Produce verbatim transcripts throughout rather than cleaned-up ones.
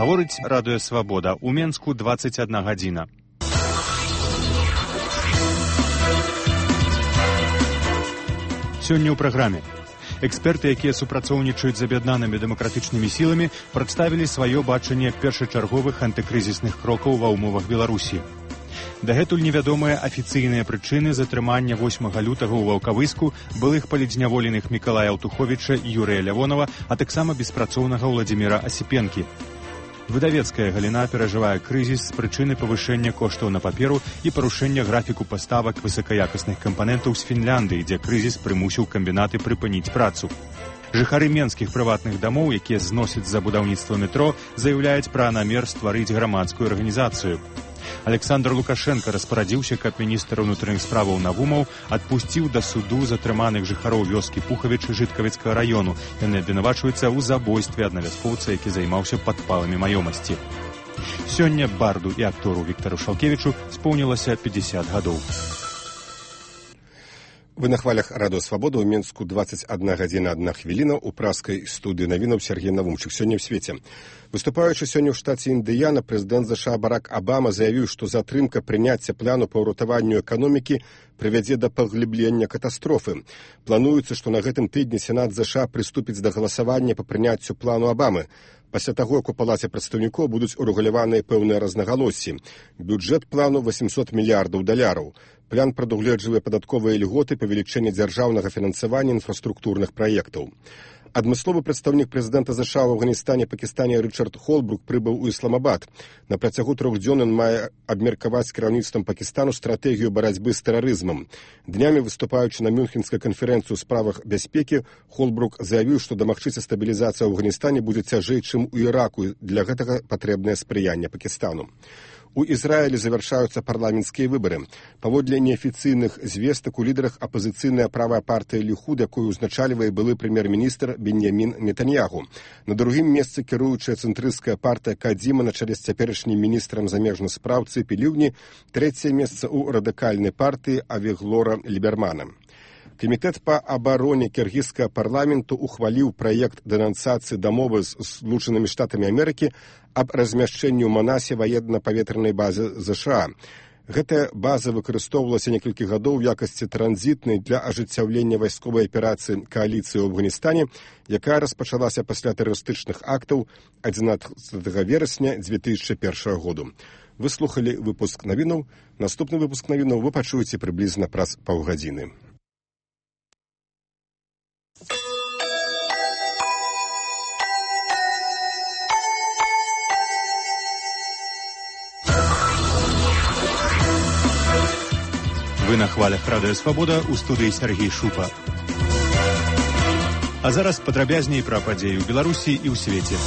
Гаворыць радыё «Свабода». У Менску дваццаць адна гадзіна. Сёння ў праграме. Эксперты, якія супрацоўнічаюць з аб'яднанымі дэмакратычнымі сіламі, прадставілі сваё бачанне першачарговых антыкрызісных крокаў ва ўмовах Беларусі. Дагэтуль невядомыя афіцыйныя прычыны затрымання восьмага лютага ў Ваўкавыску былых палідзняволеных Мікалая Аўтуховіча і Юрыя Лявонава, а таксама беспрацоўнага Ўладзіміра Асіпенкі. Выдавецкая галіна перажывае крызіс з прычыны павышэння коштаў на паперу і парушэння графіку паставак высакаякасных кампанентаў з Фінляндыі, дзе крызіс прымусіў камбінаты прыпыніць працу. Жыхары менскіх прыватных дамоў, якія зносяць за будаўніцтва метро, заяўляюць пра намер стварыць грамадскую арганізацыю. Александр Лукашенко распарадзіўся, каб міністр унутраных справаў Навумаў адпусціў да суду затрыманых жыхароў вёскі Пухавіч Жыткавіцкага району. Яны абвінавачваюцца ў забойстве аднавяскоўца, які займаўся падпаламі маёмасці. Сёння барду і актору Віктару Шалкевічу споўнілася пятьдесят гадоў. Вы на хвалях радыё «Свабода», ў Менску дваццаць адна гадзіна адна хвіліна, у праскай студыі навінаў Сергей Навумчык. Сёння ў свеце. Выступаючы сёння ў штаце Індыяна, прэзідэнт ЗША Барак Абама заявіў, што затрымка прыняцця плану па ўратаванню эканомікі прывядзе да паглыблення катастрофы. Плануецца, што на гэтым тыдні Сенат ЗША прыступіць да галасавання па прыняццю плану Абамы. Пасля таго, як у палаце прадстаўнікоў будуць урэгуляваныя пэўныя рознагалоссі. Бюджэт плану восемьсот мільярдаў даляраў. План прадугледжвае падатковыя льготы, павелічэнне дзяржаўнага фінансавання інфраструктурных праектаў. Адмысловы прадстаўнік прэзідэнта ЗША ў Афганістане і Пакістане Рычард Холбрук прыбыў у Ісламабад. На працягу трох дзён ён мае абмеркаваць з кіраўніцтвам Пакістану стратэгію барацьбы з тэрарызмам. Днямі, выступаючы на Мюнхенскай канферэнцыі ў справах бяспекі, Холбрук заявіў, што дамагчыся стабілізацыя ў Афганістане будзе цяжэй, чым у Іраку, і для гэтага патрэбнае спрыянне Пакістану. У Ізраілі завяршаюцца парламенцкія выбары. Паводле неафіцыйных звестак у лідарах апазіцыйная правая партыя Ліхуд, якую ўзначальвае былы прэм'ер-міністр Беньямін Нетаньягу. На другім месцы кіруючая цэнтрысцкая партыя Кадзіма на чале з цяперашнім міністрам замежных спраў Цыпі Ліўні, трэцяе месца ў радыкальнай партыі Авіглора Лібермана. Камітэт па абароне кіргізскага парламенту ухваліў праект дэнансацыі дамовы з Злучанымі Штатамі Амерыкі аб размяшчэнні ў Манасе ваенна-паветранай базы ЗША. Гэтая база выкарыстоўвалася некалькі гадоў у якасці транзітнай для ажыццяўлення вайсковай аперацыі кааліцыі ў Афганістане, якая распачалася пасля тэрарыстычных актаў адзінаццатага верасня дзве тысячы першага году. Вы слухалі выпуск навінаў. Наступны выпуск навінаў вы пачуеце прыблізна праз паўгадзіны. Вы на хвалях радыё «Свабода», у студыі Сергей Шупа. А зараз падрабязней пра падзеі ў Беларусі і ў свеце.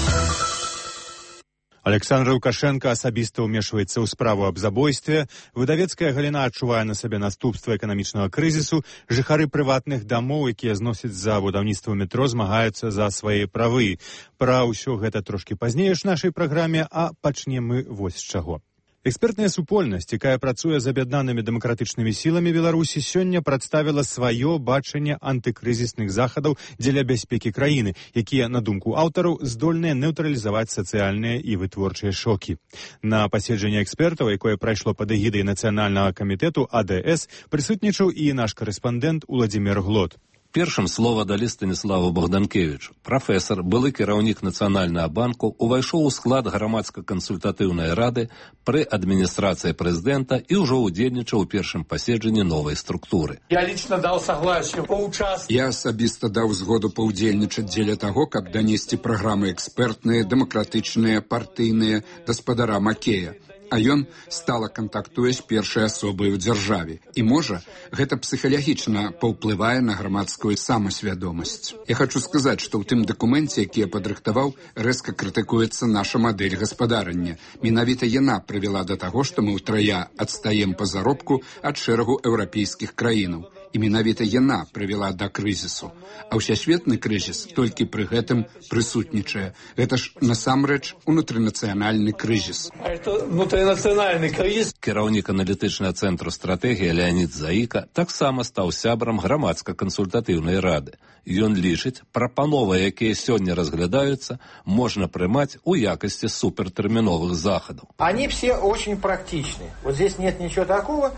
Александр Лукашенко асабіста ўмешваецца ў справу аб забойстве, выдавецкая галіна адчувае на сабе наступства эканамічнага крызісу, жыхары прыватных дамоў, якія зносяць за будаўніцтва метро, змагаюцца за свае правы. Пра ўсё гэта трошкі пазней у нашай праграме, а пачнем мы вось з чаго. Экспертная супольнасць, якая працуе з аб'яднанымі дэмакратычнымі сіламі Беларусі, сёння прадставіла сваё бачанне антыкрызісных захадаў дзеля бяспекі краіны, якія, на думку аўтараў, здольныя нейтралізаваць сацыяльныя і вытворчыя шокі. На паседжанні экспертаў, якое прайшло пад эгідай Нацыянальнага камітэту А Д С, прысутнічаў і наш карэспандэнт Уладзімір Глот. Першым слова далі Станіславу Богданкевічу. Прафесар, былы кіраўнік Нацыянальнага банку, увайшоў у склад грамадска-кансультатыўнай рады пры адміністрацыі прэзідэнта і ўжо ўдзельнічаў у першым паседжанні новай структуры. Я лично дал согласие поучаствовать. Я асабіста даў згоду паўдзельнічаць дзеля таго, каб данесці праграмы экспертныя, дэмакратычныя, партыйныя гаспадара Макея. А ён стала кантактуе з першай асобай у дзяржаве. І, можа, гэта псіхалагічна паўплывае на грамадскую самасвядомасць. Я хочу сказаць, што ў тым дакуменце, які я падрыхтаваў, рэзка крытыкуецца наша мадэль гаспадарання. Менавіта яна прывяла да таго, што мы ўтрая адстаем па заробку ад шэрагу еўрапейскіх краінаў. І менавіта яна прывяла да крызісу. А ўсесветны крызіс толькі пры гэтым прысутнічае. Гэта ж насамрэч унутрынацыянальны крызіс. Это внутринацыянальный кризис. Кіраўнік аналітычнага цэнтру стратэгіі Леонід Заіка таксама стаў сябрам грамадска-кансультатыўнай рады. Ён лічыць, прапановы, якія сёння разглядаюцца, можна прымаць у якасці супертэрміновых захадаў. Они все очень практичны. Вот здесь нет ничего такого,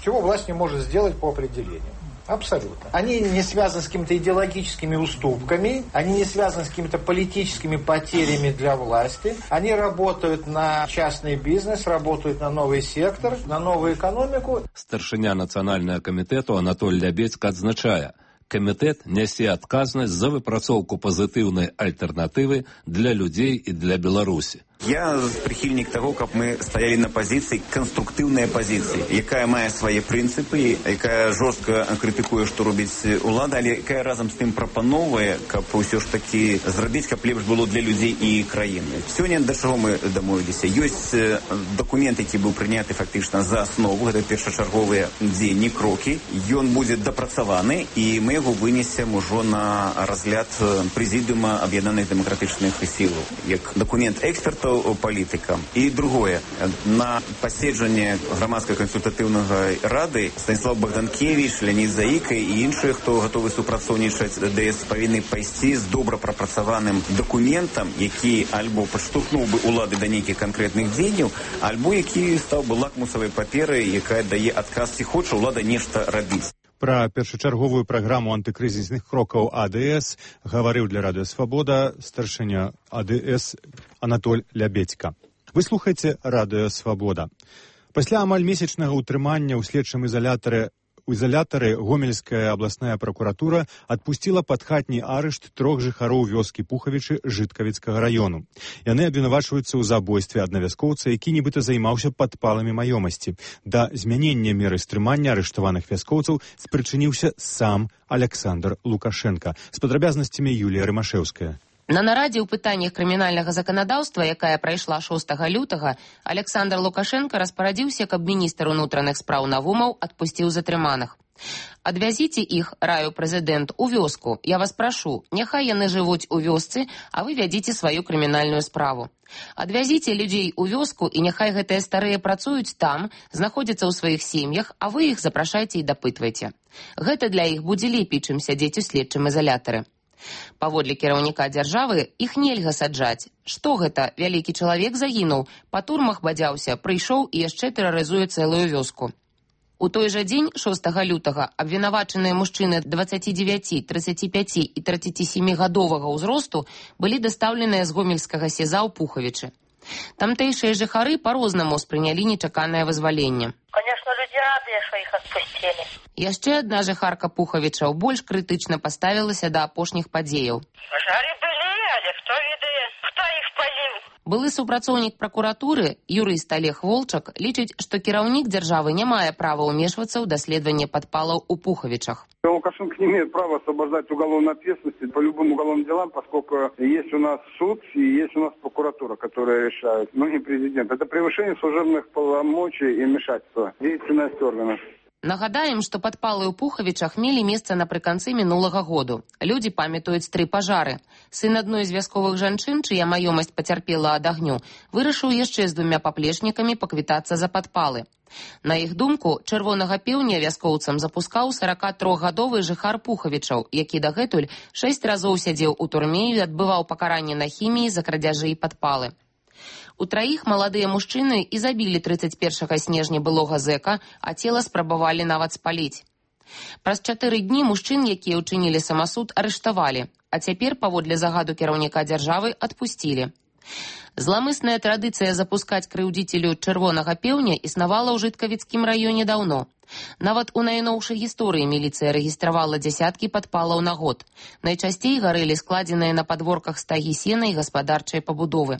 чего власть не может сделать по определению. Абсолютно. Они не связаны с какими-то идеологическими уступками, они не связаны с какими-то политическими потерями для власти. Они работают на частный бизнес, работают на новый сектор, на новую экономику. Старшыня нацыянальнага камітэту Анатоль Лябедзька адзначае, камітэт нясе адказнасць за выпрацоўку пазітыўнай альтэрнатывы для людзей і для Беларусі. Я прихильник того, как мы стояли на позиции, конструктивной позиции, якая мае свои принципы, якая жестко критикуе, что робить улада, але якая разом с тем пропановывает, как все ж таки зробить, как лепш было для людей и краины. Сегодня до чего мы домовились? Есть документ, який был принят фактично за основу, это першочерговые дзеянні, кроки. Он будет допрацаваны, и мы его вынесем уже на разгляд Президиума Объединенных Демократичных Сил, как документ экспертов, політикам. І друге, на посідженні громадської консультативної ради Станіслав Богданкевич, Леонід Заїка і інші, хто готові супрацовничати, ДС повинні пойти з добре пропрацьованим документом, який або підштовхнув би улади до деяких конкретних діянь, або який став би лакмусовою паперою, яка дає адказ, ці хоче улада нешта робити. Пра першачарговую праграму антыкрызісных крокаў АДС гаварыў для Радыё Свабода старшыня АДС Анатоль Лябедзька. Вы слухаеце Радыё Свабода. Пасля амаль месячнага ўтрымання ў следчым изолятары У изолятары Гомельская абласная прокуратура адпусціла пад хатні арышт трох жыхароў вёскі Пухавічы Жыткавіцкага раёну. Яны абвінавачваюцца ў забойстве аднавяскоўца, які нібыта займаўся падпаламі маёмасці. Да змянення меры стрымання арыштаваных вяскоўцаў спрычыніўся сам Александр Лукашенко. З падрабязнасцямі Юлія Рымашэўская. На нарадзе ў пытаннях крымінальнага заканадаўства, якая прайшла шостага лютага, Александр Лукашенко распарадзіўся, каб міністр унутраных спраў Навумаў адпусціў затрыманых. Адвязіце іх, раю прэзідэнт, у вёску. Я вас прашу, няхай яны жывуць у вёсцы, а вы вядзіце сваю крымінальную справу. Адвязіце людзей у вёску, і няхай гэтыя старыя працуюць там, знаходзяцца ў сваіх сем'ях, а вы іх запрашайце і дапытвайце. Гэта для іх будзе лепей, чым сядзець у следчым изолятары. Паводле кіраўніка дзяржавы, іх нельга саджаць. Што гэта? Вялікі чалавек загінуў, па турмах бадзяўся, прыйшоў і яшчэ тэрарызуе цэлую вёску. У той жа дзень, шостага лютага, абвінавачаныя мужчыны дваццаці дзевяці, трыццаці пяці і трыццаці сямі гадовага ўзросту былі дастаўленыя з гомельскага сеза ў Пухавічы. Тамтэйшыя жыхары па-рознаму спрынялі нечаканае вызваленне. Конечно, люди радыя, што іх адпусцілі. Яшчэ адна жыхарка Пухавічаў больш крытычна паставілася да апошніх падзеяў. Пажары былі, але хто ведае, хто іх паліў? Былы супрацоўнік пракуратуры, юрыст Олег Волчак, лічыць, што кіраўнік дзяржавы не мае права ўмешвацца ў даследаванне падпалаў у Пухавічах. Лукашенко не имеет права освобождать уголовной ответственности по любым уголовным делам, поскольку есть у нас суд и есть у нас прокуратура, которая решает, но не президент. Это превышение служебных полномочий и вмешательства в деятельность органов. Нагадаем, што падпалы ў Пухавічах мелі месца напрыканцы мінулага году. Людзі памятаюць тры пажары. Сын адной з вясковых жанчын, чыя маёмасць пацярпела ад агню, вырашыў яшчэ з двумя паплечнікамі паквітацца за падпалы. На іх думку, чырвонага пеўня вяскоўцам запускаў саракатрохгадовы жыхар Пухавічаў, які дагэтуль шэсць разоў сядзеў у турме і адбываў пакаранне на хіміі за крадзяжы і падпалы. У траіх маладыя мужчыны і забілі трыццаць першага снежня былога зэка, а цела спрабавалі нават спаліць. Праз чатыры дні мужчын, якія ўчынілі самасуд, арыштавалі, а цяпер, паводле загаду кіраўніка дзяржавы, адпусцілі. Зламысная традыцыя запускаць крыўдзіцелю чырвонага пеўня існавала ў Жыткавіцкім раёне даўно. Нават у найноўшай гісторыі міліцыя рэгістравала дзясяткі падпалаў на год. Найчасцей гарэлі складзеныя на падворках стагі сена і гаспадарчай пабудовы.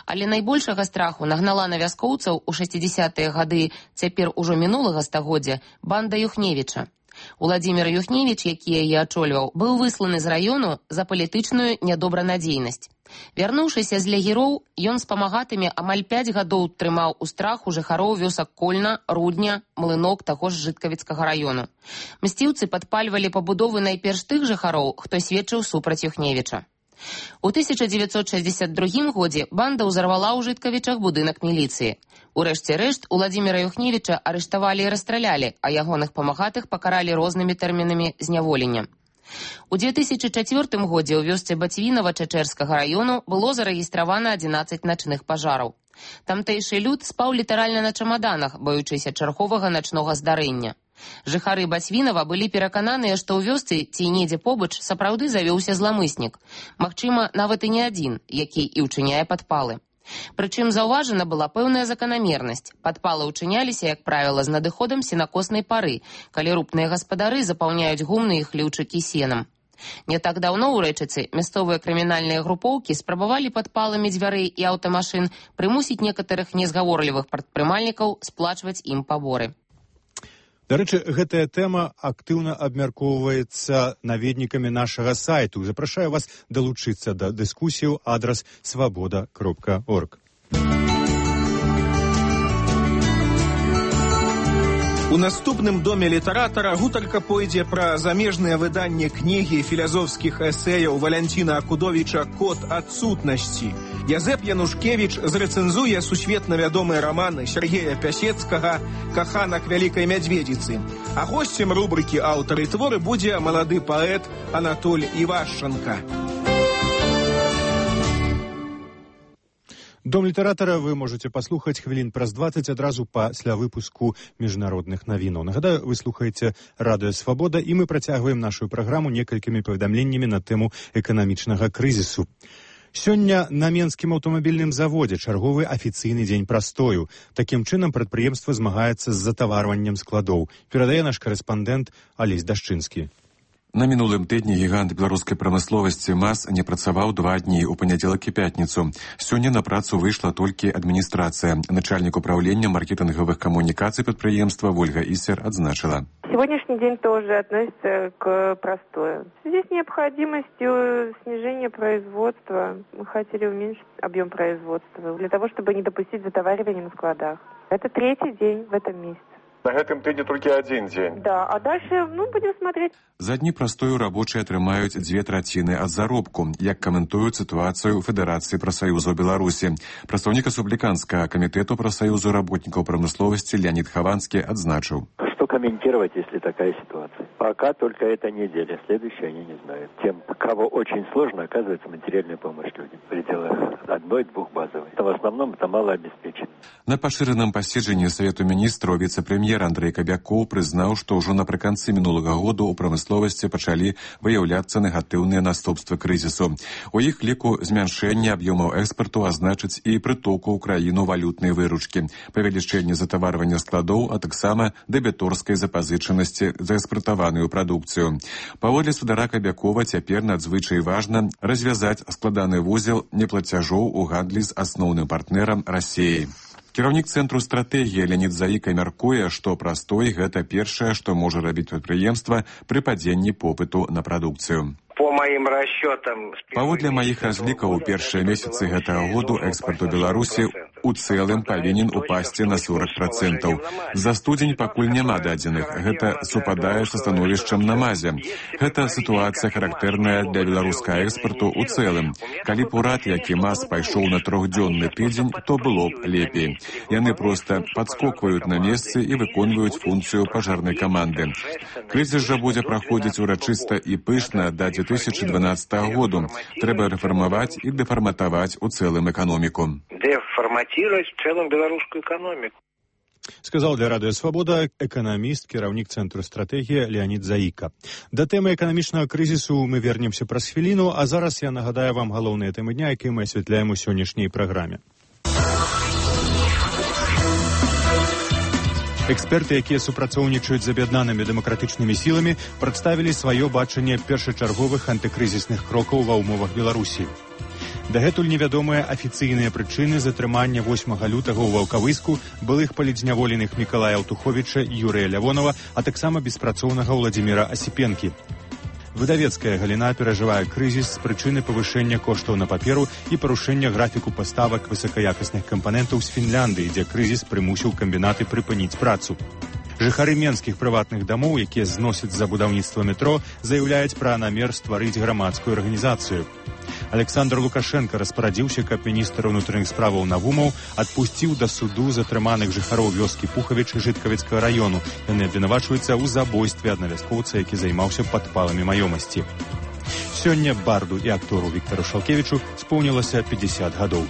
Але найбольшага страху нагнала на вяскоўцаў у шэсцідзесятыя гады цяпер ужо мінулага стагоддзя банда Юхневіча. Уладзімір Юхневіч, які яе ачольваў, быў высланы з раёну за палітычную нядобранадзейнасць. Вярнуўшыся з лагероў, ён з памагатымі амаль пяць гадоў трымаў у страху жыхароў вёсак Кольна, Рудня, Млынок таго ж Жыткавіцкага раёну. Мсціўцы падпальвалі пабудовы найперш тых жыхароў, хто сведчыў супраць Юхневіча. У тысяча дзевяцьсот шэсцьдзесят другім годзе банда ўзарвала ў Жыткавічах будынак міліцыі. Урэшце рэшт, Уладзіміра Юхневіча арыштавалі і расстралялі, а ягоных памагатых пакаралі рознымі тэрмінамі зняволення. У две тысячи чацвёртым годзе ў вёсцы Бацвінава Чачэрскага раёну было зарэгістравана адзінаццаць начных пажараў. Тамтэйшы люд спаў літаральна на чамаданах, баючыся чарговага начнога здарэння. Жыхары Бацвінава былі перакананыя, што ў вёсцы ці недзе побач сапраўды завёўся зламыснік. Магчыма, нават і не адзін, які і ўчыняе падпалы. Прычым заўважана была пэўная заканамернасць. Падпалы ўчыняліся, як правіла, з надыходам сенакоснай пары, калі рупныя гаспадары запаўняюць гумны і хлеўчыкі сенам. Не так даўно ў Рэчыцы мясцовыя крымінальныя групоўкі спрабавалі падпаламі дзвярэй і аўтамашын прымусіць некаторых незгаворлівых прадпрымальнікаў сплачваць ім паборы. Дарэчы, гэтая тэма актыўна абмяркоўваецца наведнікамі нашага сайту. Запрашаю вас далучыцца да дыскусіяў адрас свабода кропка орг. У наступным доме літаратара гутарка пойдзе пра замежныя выданні кнігі філазофскіх эсэяў Валянціна Акудовіча «Код адсутнасці». Язэп Янушкевіч зрэцэнзуе сусветна вядомыя раманы Сергея Пясецкага «Каханак вялікай мядзведзіцы». А госцем рубрыкі «Аўтары творы» будзе малады паэт Анатоль Івашчанка. Дом літаратара вы можете паслухаць хвілін праз дваццаць адразу пасля выпуску міжнародных навінаў. Нагадаю, вы слухаеце радыё «Свабода» і мы працягваем нашу праграму некалькімі паведамленнямі на тэму эканамічнага крызісу. Сёння на Менскім аўтамабільным заводзе чарговы афіцыйны дзень прастою. Такім чынам прадпрыемства змагаецца з затаварваннем складоў. Перадае наш карэспандэнт Алесь Дашчынскі. На мінулым тыдні гігант беларускай прамысловасці МАЗ не працаваў два дні у панядзелак і пятніцу. Сёння на працу выйшла толькі адміністрацыя. Начальнік управлення маркетынгавых камунікацый прадпрыемства Вольга Ісер адзначыла. Сегодняшний день тоже относится к простою. В связи с необходимостью снижения производства мы хотели уменьшить объем производства для того, чтобы не допустить затоваривания на складах. Это третий день в этом месяце. На гэтым тыдні толькі адзін дзень. Да, а дальше, ну, будем смотреть. За дні прастою рабочыя атрымаюць дзве траціны ад заробку, як каментуюць сітуацыю Федэрацыі прафсаюзаў Беларусі. Прадстаўнік рэспубліканскага камітэту прафсаюзу работнікаў прамысловасці Леонид Хованский адзначыў. Что комментировать, если такая ситуация? Пока только эта неделя, следующая они не знают. Тем, кого очень сложно, оказывается материальная помощь людям в пределах одной-двух базовой. Это в основном это малообеспеченные. На пашыраным паседжанні Савету міністраў віцэ-прэм'ер Андрэй Кабякоў прызнаў, што ўжо напрыканцы мінулага году ў прамысловасці пачалі выяўляцца негатыўныя наступствы крызісу. У іх ліку змяншэнне аб'ёмаў экспарту азначыць і прытоку ў краіну валютнай выручкі, павелічэнне затаварвання складоў, а таксама дэбіторскай запазычанасці за экспартаваную прадукцыю. Паводле спадара Кабякова цяпер надзвычай важна развязаць складаны вузел неплацяжоў у гандлі з асноўным партнерам Расіяй. Кіраўнік цэнтру стратэгіі Леонид Заіка мяркуе, што прастой гэта першае, што можа рабіць прадпрыемства пры падзенні попыту на прадукцыю. По моим расчетам... Паводле маіх разлікаў, у першыя месяцы гэтага году экспарт у Беларусі у цэлым павінен упасці на сорок процентаў. За студзень пакуль няма дадзеных. Гэта супадае са становішчам на МАЗе. Гэта сітуацыя характэрная для беларускага экспарту у цэлым. Калі б урад, які МАЗ пайшоў на трохдзённы тыдзень, то было б лепей. Яны проста падскокваюць на месцы і выконваюць функцыю пажарнай каманды. Крызіс жа будзе праходзіць урачыста і пышна да две тысячи дванадцатого году. Трэба рэфармаваць і дэфарматаваць у цэлым эканоміку. Дэфарматировать в целом белорусскую экономику. Сказал для радыё «Свабода» эканаміст, кіраўнік цэнтру стратэгіі Леонид Заіка. Да тэмы эканамічнага крызісу мы вернемся праз хвіліну, а зараз я нагадаю вам галоўныя тэмы дня, якія мы асвятляем у сённяшняй праграме. Эксперты, якія супрацоўнічаюць з аб'яднанымі дэмакратычнымі сіламі, прадставілі сваё бачанне першачарговых антыкрызісных крокаў ва ўмовах Беларусі. Дагэтуль невядомыя афіцыйныя прычыны затрымання восьмага лютага ў Ваўкавыску былых палітзняволеных Мікалая Аўтуховіча і Юрыя Лявонова, а таксама беспрацоўнага Ўладзіміра Асіпенкі. Выдавецкая галіна перажывае крызіс з прычыны павышэння коштаў на паперу і парушэння графіку паставак высокаякасных кампанентаў з Фінляндыі, дзе крызіс прымусіў камбінаты прыпыніць працу. Жыхары менскіх прыватных дамоў, якія зносяць за будаўніцтва метро, заяўляюць пра намер стварыць грамадскую арганізацыю. Александр Лукашенко распарадзіўся, каб міністр унутраных справаў Навумаў адпусціў да суду затрыманых жыхароў вёскі Пухавіч Жыткавіцкага раёну. Яны абвінавачваюцца ў забойстве аднавяскоўца, які займаўся падпаламі маёмасці. Сёння барду і актору Віктару Шалкевічу споўнілася пятьдесят гадоў.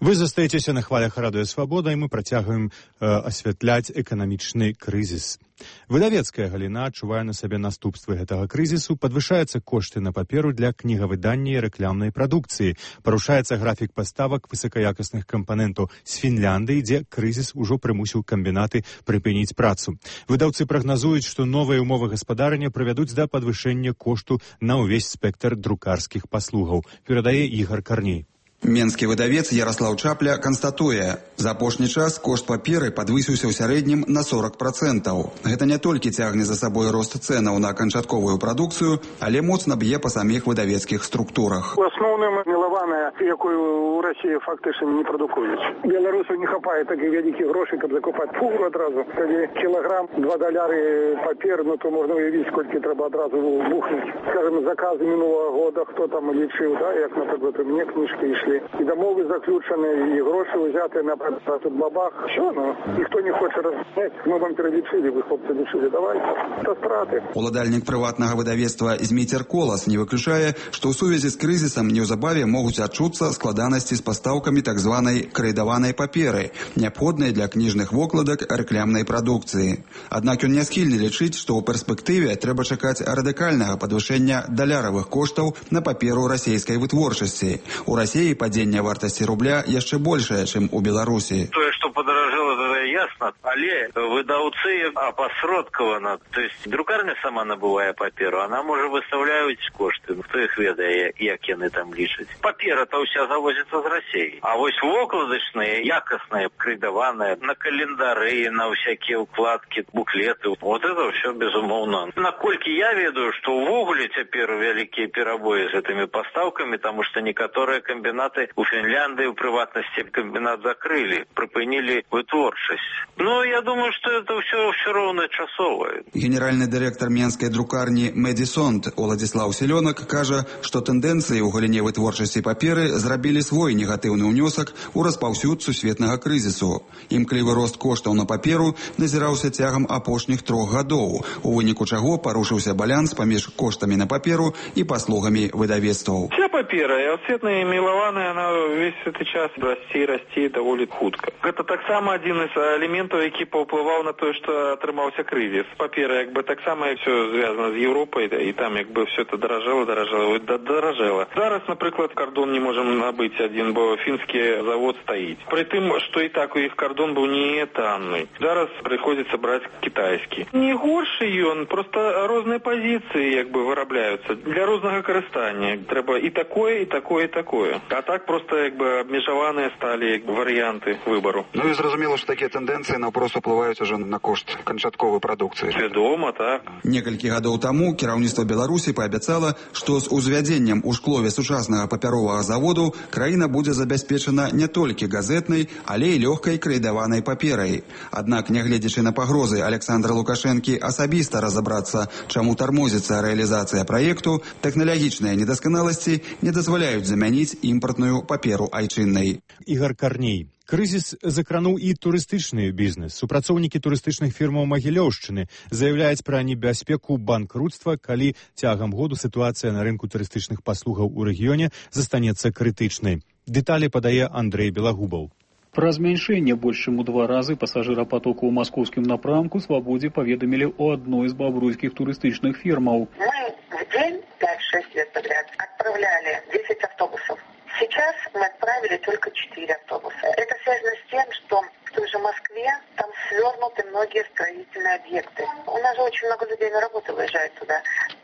Вы застаецеся на хвалях радыё Свабода, і мы працягваем э, асвятляць эканамічны крызіс. Выдавецкая галіна адчувае на сабе наступствы гэтага крызісу, падвышаюцца кошты на паперу для кнігавыдання і рэкламнай прадукцыі, парушаецца графік паставак высокаякасных кампанентаў з Фінляндыі, дзе крызіс ужо прымусіў камбінаты прыпыніць працу. Выдаўцы прагназуюць, што новыя ўмовы гаспадарання прывядуць да падвышэння кошту на ўвесь спектр друкарскіх паслугаў, перадае Ігор Карней. Менскі выдавец Ярослаў Чапля канстатуе, за апошні час кошт паперы падвысіўся ў сярэднім на сорок процентаў. Гэта не толькі цягне за сабой рост цэнаў на канчатковую прадукцыю, але моцна б'е па саміх выдавецкіх структурах. У асноўным мілаваная, якую ў Расіі фактычна не прадукуюць. Беларусу не хапае такіх вялікіх грошай, каб закупаць фуру адразу. Калі кілаграм, два даляры папер, ну то можна уявіць, колькі трэба адразу бухнуць. Скажем, заказы мінулого года, хто там лічыў, да, як, наприклад, у мяне кніжкі ішлі. І домови заключені, і гроші взяти на тут бабах. Що, ну, ніхто не хоче розуміти. Ми вам перелічили, ви, хлопці, лічили, давайте. Це страти. Уладальник приватного видавецтва Зміцер Колас не виключає, що у сувязі з кризисом неўзабаве можуть адчуцца складаності з поставками так званої крэдаванай паперы, необходной для книжных вокладок рекламной продукции. Однак он не схильны лічыць, что у перспективе трэба чакаць радыкальнага падвышэння даляровых коштаў на паперу расійскай вытворчасці. У России падзення вартасці рубля яшчэ большае, чым у Беларусі. Тое, што падаражэла, гэта ясна, але выдаўцы апасродкавана. То есть друкарня сама набывае паперу, она можа выстаўляюць кошты. Хто іх ведае, як яны там лічаць. Папера-то ўся завозіцца з Расіі. А вось вокладачныя, якасныя, крэдаваныя, на календары, на всякие укладкі, буклеты, вот это все безумоўно. Наколькі я ведаю, што ўвогуле цяпер вялікія перабоі з гэтымі пастаўкамі, таму што некаторыя комбинаты у Финляндии, в приватности, комбинат закрыли, припынили вытворчесть. Но я думаю, что это все, все ровно часовое. Генеральный директор Менской друкарни Медисонт Владислав Селенок кажа, что тенденции у галіне вытворчасці паперы зрабілі свой негатыўны ўнёсак у распаўсюд сусветнага крызісу. Імклівы рост коштаў на паперу назіраўся цягам апошніх трох гадоў, у выніку чаго парушыўся баланс паміж коштамі на паперу і паслугамі выдавецтваў. Вся папера, і оцветная і мілаваная, она весь гэты час расці, расці даволі хутка. Гэта таксама адзін з элементаў, які паўплываў на тое, што атрымаўся крызіс. Папера, як бы, таксама все звязана з Еўропай, і там, як бы, все это даражэла, даражэла, даражэла. Зараз, напрыклад, кардон не можам набыць адзін, бо фінскі завод стаіць. Пры тым, што і так у іх кардон быў не танны. Зараз прыходзіцца браць кітайскі. Не горшы ён, просто розныя пазіцыі, як бы, вырабляюцца. Для рознага карыстання. Трэба і такое, і такое, і такое. А так просто, як бы, абмежаваныя сталі, як бы, варыянты выбару. Ну і зразумела, што такія тэндэнцыі наўпрост уплываюць ужо на кошт канчатковай прадукцыі. Вядома, так. Некалькі гадоў таму кіраўніцтва Беларусі паабяцала, што з узвядзеннем у шклове сучаснага папяровага заводу краіна будзе забяспечана не толькі газетнай, але і лёгкай крэдаванай паперай. Аднак, нягледзячы на пагрозы Александра Лукашэнкі асабіста разабрацца, чаму тармозіцца рэалізацыя праекту, тэхналагічныя недасканаласці не дазваляюць замяніць імпартную паперу айчыннай. Ігор Карней. Крызіс закрануў і турыстычны бізнес. Супрацоўнікі турыстычных фірмаў Магілёўшчыны заяўляюць пра небяспеку банкрутства, калі цягам году сітуацыя на рынку турыстычных паслугаў у рэгіёне застанецца крытычнай. Дэталі падае Андрэй Белагубаў. Пра змяншэнне больш чым у два разы пасажырапатоку ў маскоўскім напрамку Свабодзе паведамілі ў адной з бабруйскіх турыстычных фірмаў. Мы в день пять-шесть лет подряд отправляли десять автобусов. Сейчас мы отправили только четыре автобуса. Это связано с тем, что в той же Москве там свернуты многие строительные объекты. У нас же очень много людей на работу выезжает туда.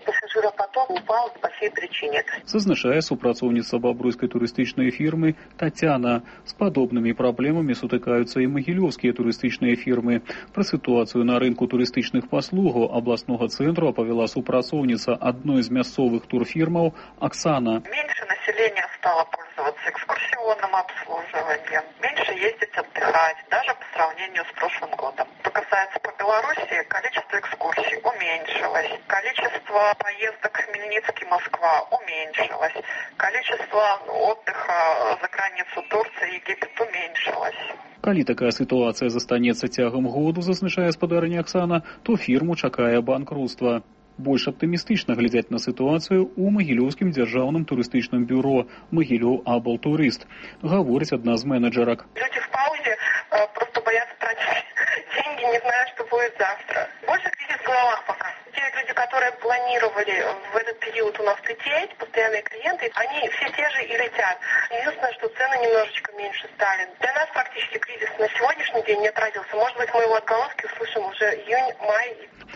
пассажиропоток упал по сей причине. Зазначае супрацоўніца бабруйскай турыстычнай фірмы Тацяна. З падобнымі праблемамі сутыкаюцца і магілёўскія турыстычныя фірмы. Пра сітуацыю на рынку турыстычных паслугаў абласнога цэнтру апавяла супрацоўніца адной з мясцовых турфірмаў Оксана. Меньше населения стало пользоваться экскурсионным обслуживанием, меньше ездить отдыхать, даже по сравнению с прошлым годом. Что касается по Беларуси, количество экскурсий уменьшилось, количество поездок Хмельницкий-Москва уменьшилось, количество отдыха за границу Турции, Египет уменьшилось. Калі такая сітуацыя застанецца цягам году, зазначае спадарня Оксана, то фірму чакае банкрутства. Больш аптымістычна глядзяць на сітуацыю ў Магілёўскім дзяржаўным турыстычным бюро «Магілёў Аблтурыст», гаворыць адна з менеджерак. Люди в паузе э, просто боятся тратить деньги, не зная, что будет завтра. Больше кризис в головах пока. Те люди, которые планировали в этот период у нас лететь, постоянные клиенты, они все те же и летят. Единственное, что цены немножечко меньше стали. Для нас практически кризис на сегодняшний день не отразился. Может быть, мы его отголоски услышим уже июнь, май.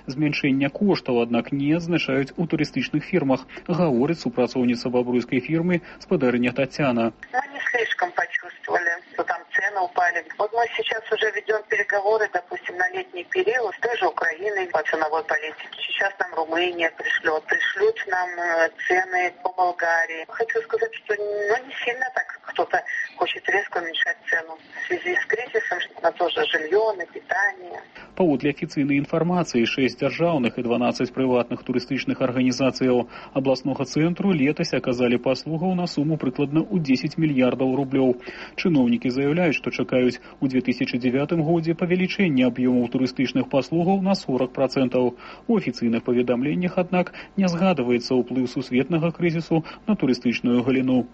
Зменшэння коштаў, аднак, не адзначаюць у турыстычных фірмах, гаворыць супрацоўніца бабруйскай фірмы спадарня Тацяна. Мы не слишком почувствовали, что там цены упали. Вот мы сейчас уже ведем переговоры, допустим, на летний период с той же Украиной по ценовой политике. Сейчас нам Румыния пришлет, пришлют нам цены по Болгарии. Хочу сказать, что ну, не сильно так кто-то хочет резко уменьшать цену. В связи с кризисом на то же жилье, на питание. Паводле афіцыйнай інфармацыі, шэсць дзяржаўных і дванаццаць прыватных турыстычных арганізацыяў абласнога цэнтру летась аказалі паслугаў на суму прыкладна ў дзесяць мільярдаў рублёў. Чыноўнікі заяўляюць, што чакаюць у две тысячы дзевятым годзе павелічэння аб'ёмаў турыстычных паслугаў на сорок процентаў. У афіцыйных паведамленнях, аднак, не згадваецца ўплыў сусветнага крызісу на турыстычную галіну.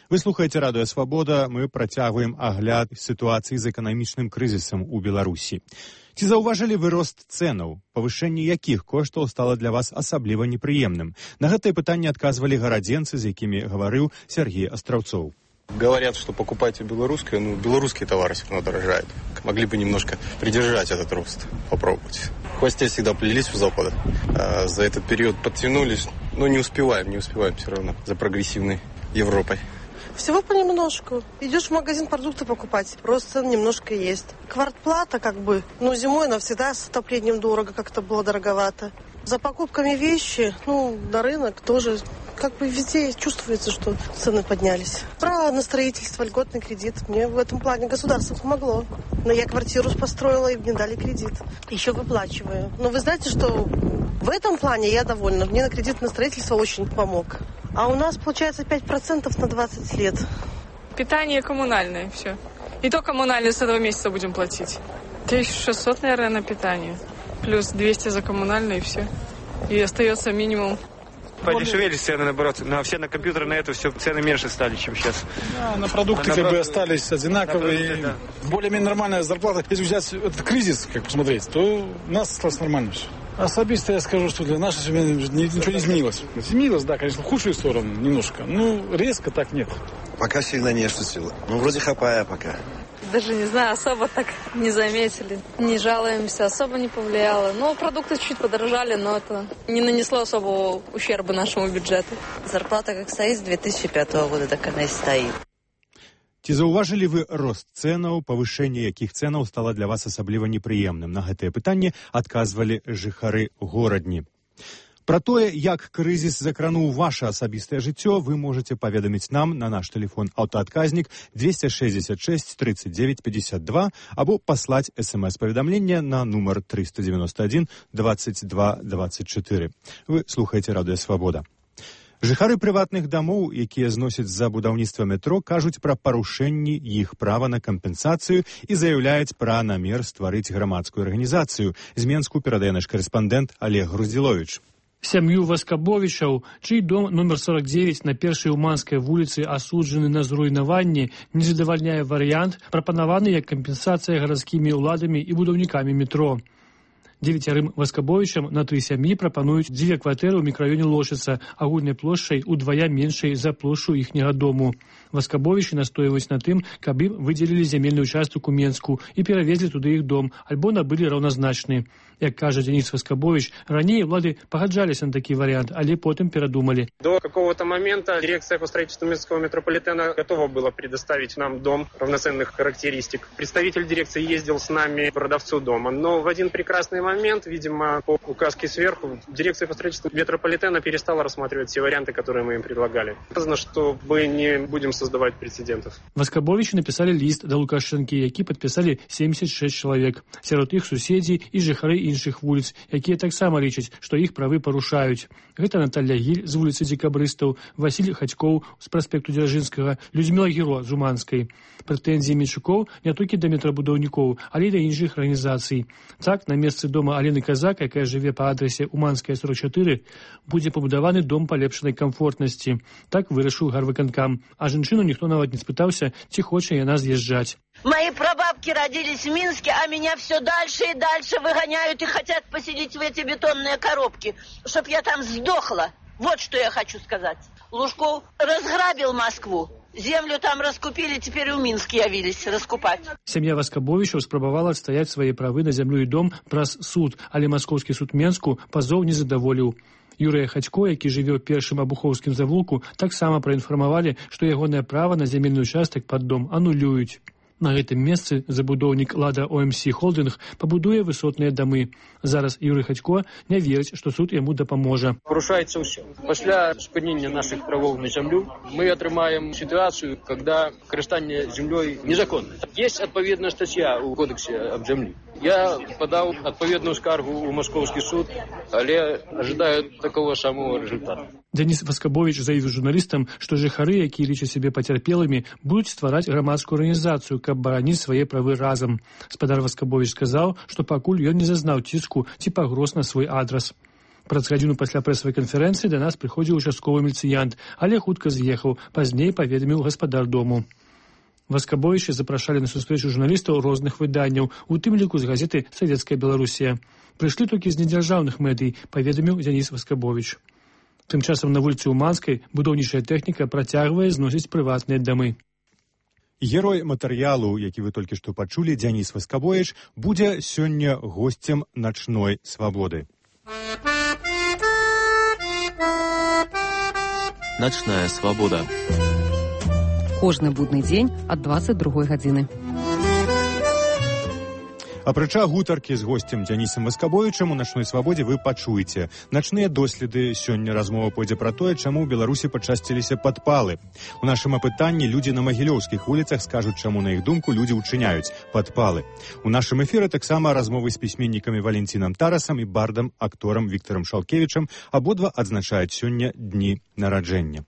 Вы слухаеце радыё «Свабода». Мы працягваем агляд сітуацыі з эканамічным крызісам у Беларусі. Ці заўважылі вы рост цэнаў, павышэнне якіх коштаў стала для вас асабліва непрыемным? На гэтае пытанне адказвалі гарадзенцы, з якімі гаварыў Сергей Астраўцоў. Говорят, что покупайте белорусское, но белорусские товары все равно дорожают. Могли бы немножко придержать этот рост, попробовать. В хвосте всегда плелись у Запада. А за этот период подтянулись, но не успеваем, не успеваем все равно за прогрессивной Европой. Всего понемножку. Идешь в магазин продукты покупать, рост цен немножко есть. Квартплата как бы, ну зимой она всегда с отоплением дорого, как-то было дороговато. За покупками вещи, ну, на рынок тоже, как бы везде чувствуется, что цены поднялись. Право на строительство, льготный кредит. Мне в этом плане государство помогло. Но я квартиру построила, и мне дали кредит. Еще выплачиваю. Но вы знаете, что в этом плане я довольна. Мне на кредит на строительство очень помог. А у нас получается пять процентов на двадцать лет. Питание коммунальное, все. И то коммунальное с этого месяца будем платить. тысяча шестьсот, наверное, на питание. Плюс двести за коммунальное и все. И остается минимум. Подешевели цены, наоборот. На все на компьютеры, на это все цены меньше стали, чем сейчас. Да, на продукты а как бы остались одинаковые. Продукты, да. Более-менее нормальная зарплата. Если взять этот кризис, как посмотреть, то у нас осталось нормально все. Особисто я скажу, что для нашей семьи ничего не изменилось. Изменилось, да, конечно, в худшую сторону немножко. Ну, резко так нет. Пока сильно не ощутила. Ну, вроде хапая пока. Даже не знаю, особо так не заметили. Не жалуемся, особо не повлияло. Ну, продукты чуть подорожали, но это не нанесло особого ущерба нашему бюджету. Зарплата как стоит с две тысячи пятого года, так она и стоит. Ці заўважылі вы рост цэнаў, павышэнне якіх цэнаў стала для вас асабліва непрыемным? На гэтае пытанне адказвалі жыхары горадні. Пра тое, як крызіс закрануў ваше асабістае жыццё, вы можете паведаміць нам на наш тэлефон аўтаадказнік двести шестьдесят шесть тридцать девять пятьдесят два або паслаць смс-паведамленне на нумар триста девяносто один двадцать два двадцать четыре. Вы слухаеце радыё «Свабода». Жыхары прыватных дамоў, якія зносяць за будаўніцтва метро, кажуць пра парушэнні іх права на кампенсацыю і заяўляюць пра намер стварыць грамадскую арганізацыю. З Менску перадае наш карэспандэнт Олег Груздзіловіч. Сям'ю Васкабовічаў, чый дом номер сорок девять на першай Уманскай вуліцы асуджаны на зруйнаванне, не задавальняе варыянт, прапанаваны як кампенсацыя гарадскімі ўладамі і будаўнікамі метро. Девяцярым Васкабовічам на тры сям'і прапануюць дзве кватэры ў мікрараёне Лошыца, агульнай плошчай удвая меншай за плошчу іхняга дому. Васкабовічы настойваюць на тым, каб ім выдзелілі зямельны участак у Менску і перавезлі туды іх дом, альбо набылі раўназначны. Як кажа Денис Васкабович, раней улады пагаджаліся на такі варыянт, але потым перадумалі. До какого-то момента дирекция по строительству Минского метрополитена готова была предоставить нам дом равноценных характеристик. Представитель дирекции ездил с нами к продавцу дома, но в один прекрасный момент, видимо, по указке сверху, дирекция по строительству метрополитена перестала рассматривать все варианты, которые мы им предлагали. Сказано, что мы не будем создавать прецедентов. Васкабовичы написали лист до Лукашэнкі, які падпісалі семьдесят шесть чалавек. Сярод іх суседзі і жыхары іншых вуліц, якія таксама лічаць, што іх правы парушаюць. Гэта Наталья Гіль з вуліцы Дзекабрыстаў, Васіль Хацькоў з праспекту Дзяржынскага, Людміла Гіро з Уманскай. Прэтэнзіі Мельчукоў не толькі да метрабудаўнікоў, але і да іншых арганізацый. Так, на месцы дома Алены Казак, якая жыве па адрасе Уманская сорок чатыры, будзе пабудаваны дом палепшанай камфортнасці. Так вырашыў гарвыканкам. А жанчыну ніхто нават не спытаўся, ці хоча яна з'язджаць. Мои прабабки родились в Минске, а меня все дальше и дальше выгоняют и хотят поселить в эти бетонные коробки, чтоб я там сдохла. Вот что я хочу сказать. Лужков разграбил Москву. Землю там раскупили, теперь у Минска явились раскупать. Сям'я Васкабовічаў спрабавала адстаяць свае правы на зямлю і дом праз суд, але маскоўскі суд Менску пазоў не задаволіў. Юрыя Хацько, які жыве ў першым абухоўскім завулку, таксама праінфармавалі, што ягонае права на зямельны участак пад дом анулююць. На гэтым месцы забудоўнік Лада О Эм Сі Холдинг пабудуе высотныя дамы. Зараз Юрый Хацько не верыць, што суд яму дапаможа. Парушаецца ўсё. Пасля спынення нашых правоў на зямлю мы атрымаем сітуацыю, когда карыстанне зямлёй незаконна. Есть адпаведная статья ў кодексе аб зямлі. Я подаў адпаведную скаргу ў маскоўскі суд, але ожидаю такого самого результата. Денис Васкабович заявіў журналістам, што жыхары, якія лічаць сябе пацярпелымі, будуць ствараць грамадскую арганізацыю, каб бараніць свае правы разам. Спадар Васкабович сказаў, што пакуль ён не зазнаў ціску ці пагроз на свой адрас. Праз гадзіну пасля прэсавай канферэнцыі да нас прыходзіў участковы міліцыянт, але хутка з'ехаў, пазней паведаміў гаспадар дому. Васкабовічы запрашалі на сустрэчу журналістаў розных выданняў, у тым ліку з газеты «Савецкая Беларусія». Прыйшлі толькі з недзяржаўных медый, паведаміў Денис Васкабович. Тым часам на вуліцы Уманскай будаўнічая тэхніка працягвае зносіць прыватныя дамы. Герой матэрыялу, які вы толькі што пачулі, Денис Васкабович, будзе сёння госцем начной свабоды. Начная свабода. Кожны будны дзень ад дваццаць другой гадзіны. Апрача гутаркі з госцем Дзянісам Васкабовічам у начной свабодзе вы пачуеце. Начныя доследы. Сёння размова пойдзе пра тое, чаму ў Беларусі пачасціліся падпалы. У нашым апытанні людзі на магілёўскіх вуліцах скажуць, чаму, на іх думку, людзі ўчыняюць падпалы. У нашым эфіры таксама размовы з пісьменнікамі Валентинам Тарасам і бардам, акторам Віктарам Шалкевічам. Абодва адзначаюць сёння дні нараджэння.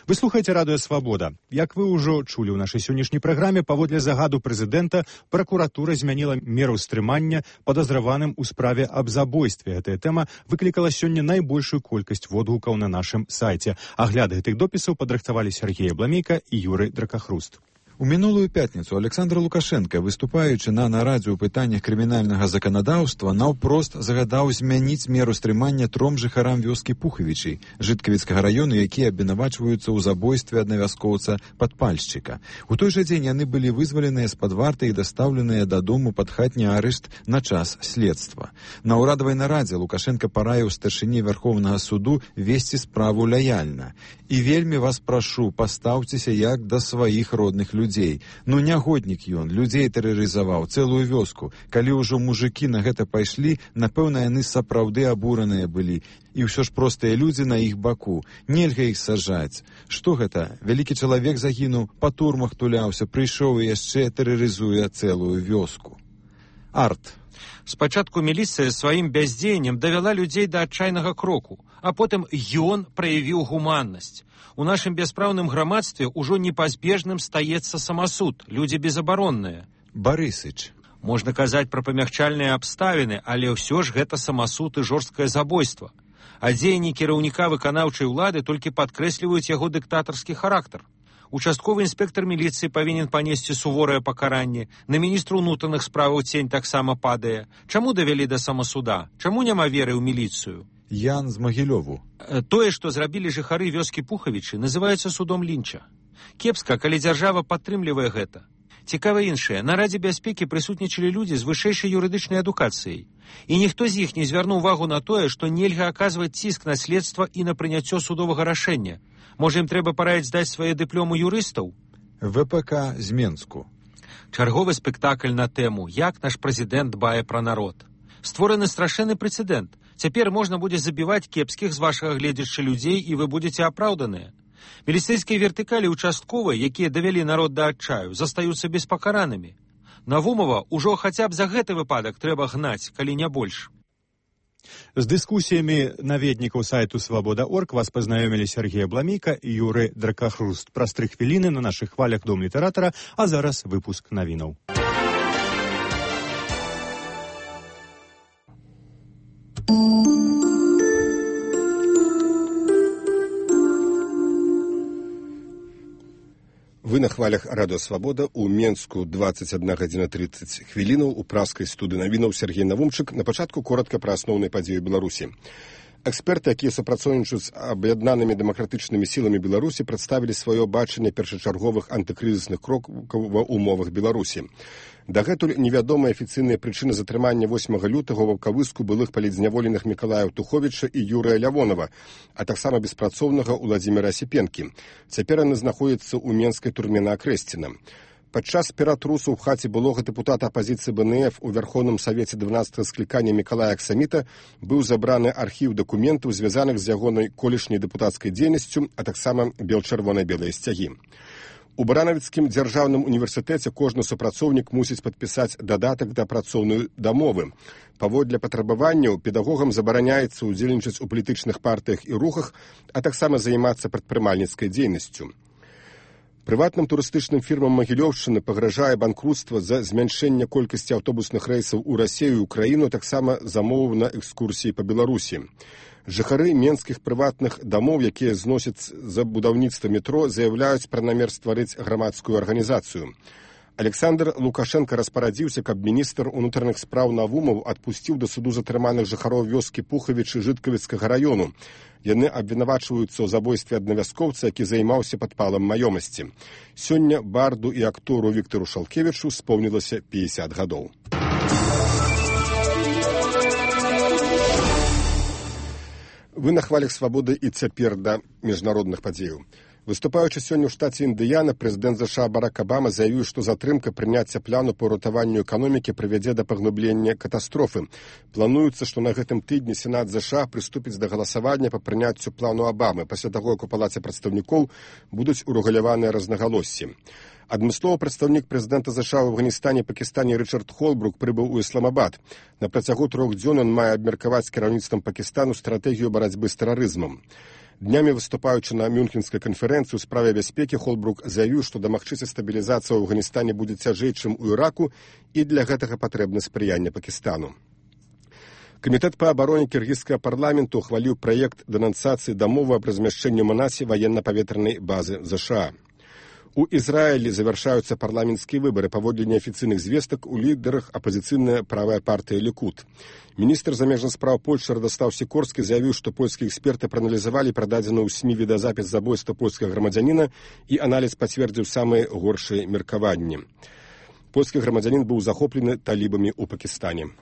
Вы слухаеце радыё «Свабода». Як вы ўжо чулі ў нашай сённяшняй праграме, паводле загаду прэзідэнта, пракуратура змяніла меру стрымання падазраваным у справе аб забойстве. Гэтая тэма выклікала сёння найбольшую колькасць водгукаў на нашым сайце. Агляд гэтых допісаў падрыхтавалі Сергей Абламейка і Юрый Дракахруст. У мінулую пятніцу Александр Лукашенко, выступаючы на нарадзе ў пытаннях крымінальнага заканадаўства, наўпрост загадаў змяніць меру стрымання тром жыхарам вёскі Пухавічы, Жыткавіцкага раёну, якія абвінавачваюцца ў забойстве аднавяскоўца падпальшчыка. У той жа дзень яны былі вызваленыя з-пад варты і дастаўленыя дадому пад хатні арышт на час следства. На ўрадавай нарадзе Лукашенко параіў старшыні Вярхоўнага суду весці справу лаяльна. І вельмі вас прашу, пастаўцеся як да сваіх родных людзей. Людзей. Ну, нягоднік ён, людзей тэрарызаваў, цэлую вёску. Калі ўжо мужыкі на гэта пайшлі, напэўна, яны сапраўды абураныя былі. І ўсё ж простыя людзі на іх баку. Нельга іх сажаць. Што гэта? Вялікі чалавек загінуў, па турмах туляўся, прыйшоў і яшчэ тэрарызуе цэлую вёску. Арт. Спачатку міліцыя сваім бяздзеяннем давяла людзей да адчайнага кроку, а потым ён праявіў гуманнасць. У нашым бяспраўным грамадстве ўжо непазбежным стаецца самасуд, людзі безабаронныя. Барысыч. Можна казаць пра памягчальныя абставіны, але ўсё ж гэта самасуд і жорсткае забойства. А дзеянні кіраўніка выканаўчай улады толькі падкрэсліваюць яго дыктатарскі характар. Участковы інспектор міліцыі павінен панесці суворае пакаранне, на міністра ўнутраных справаў цень таксама падае. Чаму давялі да самасуда? Чаму няма веры ў міліцыю? Ян з Магілёву. Тое, што зрабілі жыхары вёскі Пухавічы, называецца судом лінча. Кепска, калі дзяржава падтрымлівае гэта. Цікава іншае. На Радзе бяспекі прысутнічалі людзі з вышэйшай юрыдычнай адукацыяй. І ніхто з іх не звярнуў увагу на тое, што нельга аказваць ціск на следства і на прыняццё судовага рашэння. Можа, ім трэба параіць здаць свае дыпломы юрыстаў? ВПК з Менску. Чарговы спектакль на тэму «Як наш прэзідэнт дбае пра народ». Створаны страшэнны прэцэдэнт. Цяпер можна будзе забіваць кепскіх з вашага гледзяча людзей, і вы будзеце апраўданыя. Міліцэйскія вертыкалі участковыя, якія давялі народ да адчаю, застаюцца беспакаранымі. Навумова ўжо хаця б за гэты выпадак трэба гнаць, калі не больш. З дыскусіямі наведнікаў сайту свабода точка орг вас пазнаёмілі Сергей Абламейка і Юры Дракахруст. Праз тры хвіліны на нашых хвалях Дом літаратара, а зараз выпуск навінаў. Вы на хвалях Радио Свобода. У Менску двадцать одна гадзіна тридцать хвілінаў. У праскай студыі навінаў Сергей Навумчык. На пачатку коротка пра асноўныя падзеі Беларусі. Эксперты, якія супрацоўнічаюць з аб'яднанымі дэмакратычнымі сіламі Беларусі, прадставілі сваё бачанне першачарговых антыкрызісных крокаў ва ўмовах Беларусі. Дагэтуль невядомыя афіцыйныя прычыны затрымання восьмага лютага ў ваўкавыску былых палітзняволеных Мікалая Туховіча і Юрыя Лявонова, а таксама беспрацоўнага Уладзіміра Асіпенкі. Цяпер яны знаходзяцца ў менскай турме на Акрэсціна. Падчас ператрусу ў хаце былога дэпутата апазіцыі БНФ у Вярхоўным Савеце дванаццатага склікання Мікалая Аксаміта быў забраны архіў дакументаў, звязаных з ягонай колішняй дэпутацкай дзейнасцю, а таксама бел-чырвона-белыя сцягі. У Баранавіцкім дзяржаўным універсітэце кожны супрацоўнік мусіць падпісаць дадатак да працоўнай дамовы. Паводле патрабаванняў педагогам забараняецца ўдзельнічаць у палітычных партыях і рухах, а таксама займацца прадпрымальніцкай дзейнасцю. Прыватным турыстычным фірмам Магілёўшчыны пагражае банкруцтва за змяншэнне колькасці аўтобусных рэйсаў у Расію і Украіну, таксама замоваў на экскурсіі па Беларусі. Жыхары менскіх прыватных дамоў, якія зносяць за будаўніцтва метро, заяўляюць пра намер стварыць грамадскую арганізацыю. Александр Лукашенко распарадзіўся, каб міністр унутраных спраў Навумаў адпусціў да суду затрыманых жыхароў вёскі Пухавічы Жыткавіцкага раёну. Яны абвінавачваюцца ў забойстве аднавяскоўца, які займаўся падпалам маёмасці. Сёння барду і актору Віктару Шалкевічу споўнілася пятьдесят гадоў. Вы на хвалях свабоды і цяпер да міжнародных падзеяў. Выступаючы сёння ў штаце Індыяна, прэзідэнт ЗША Барак Абама заявіў, што затрымка прыняцця плану па ратаванню эканомікі прывядзе да паглыблення катастрофы. Плануецца, што на гэтым тыдні Сенат ЗША прыступіць да галасавання па прыняццю плану Абамы, пасля таго, як у палаце прадстаўнікоў будуць урэгуляваныя рознагалоссі. Адмысловы прадстаўнік прэзідэнта ЗША ў Афганістане і Пакістане Рычард Холбрук прыбыў у Ісламабад. На працягу трох дзён ён мае абмеркаваць з кіраўніцтвам Пакістану стратэгію барацьбы з тэрарызмам. Днямі выступаючы на Мюнхенскай канферэнцыі ў справе бяспекі, Холбрук заявіў, што дамагчыся стабілізацыя ў Афганістане будзе цяжэй, чым у Іраку, і для гэтага патрэбна спрыянне Пакістану. Камітэт па абароне кіргізскага парламенту ухваліў праект дэнансацыі дамовы аб размяшчэнні ў Манасе ваенна-паветранай базы ЗША. У Ізраілі завяршаюцца парламенцкія выбары. Паводле неафіцыйных звестак у лідарах апазіцыйная правая партыя Лікуд. Міністр замежных спраў Польшчы Радастаў Сікорскі заявіў, што польскія эксперты прааналізавалі прададзены ў СМІ відэазапіс забойства польскага грамадзяніна, і аналіз пацвердзіў самыя горшыя меркаванні. Польскі грамадзянін быў захоплены талібамі ў Пакістане.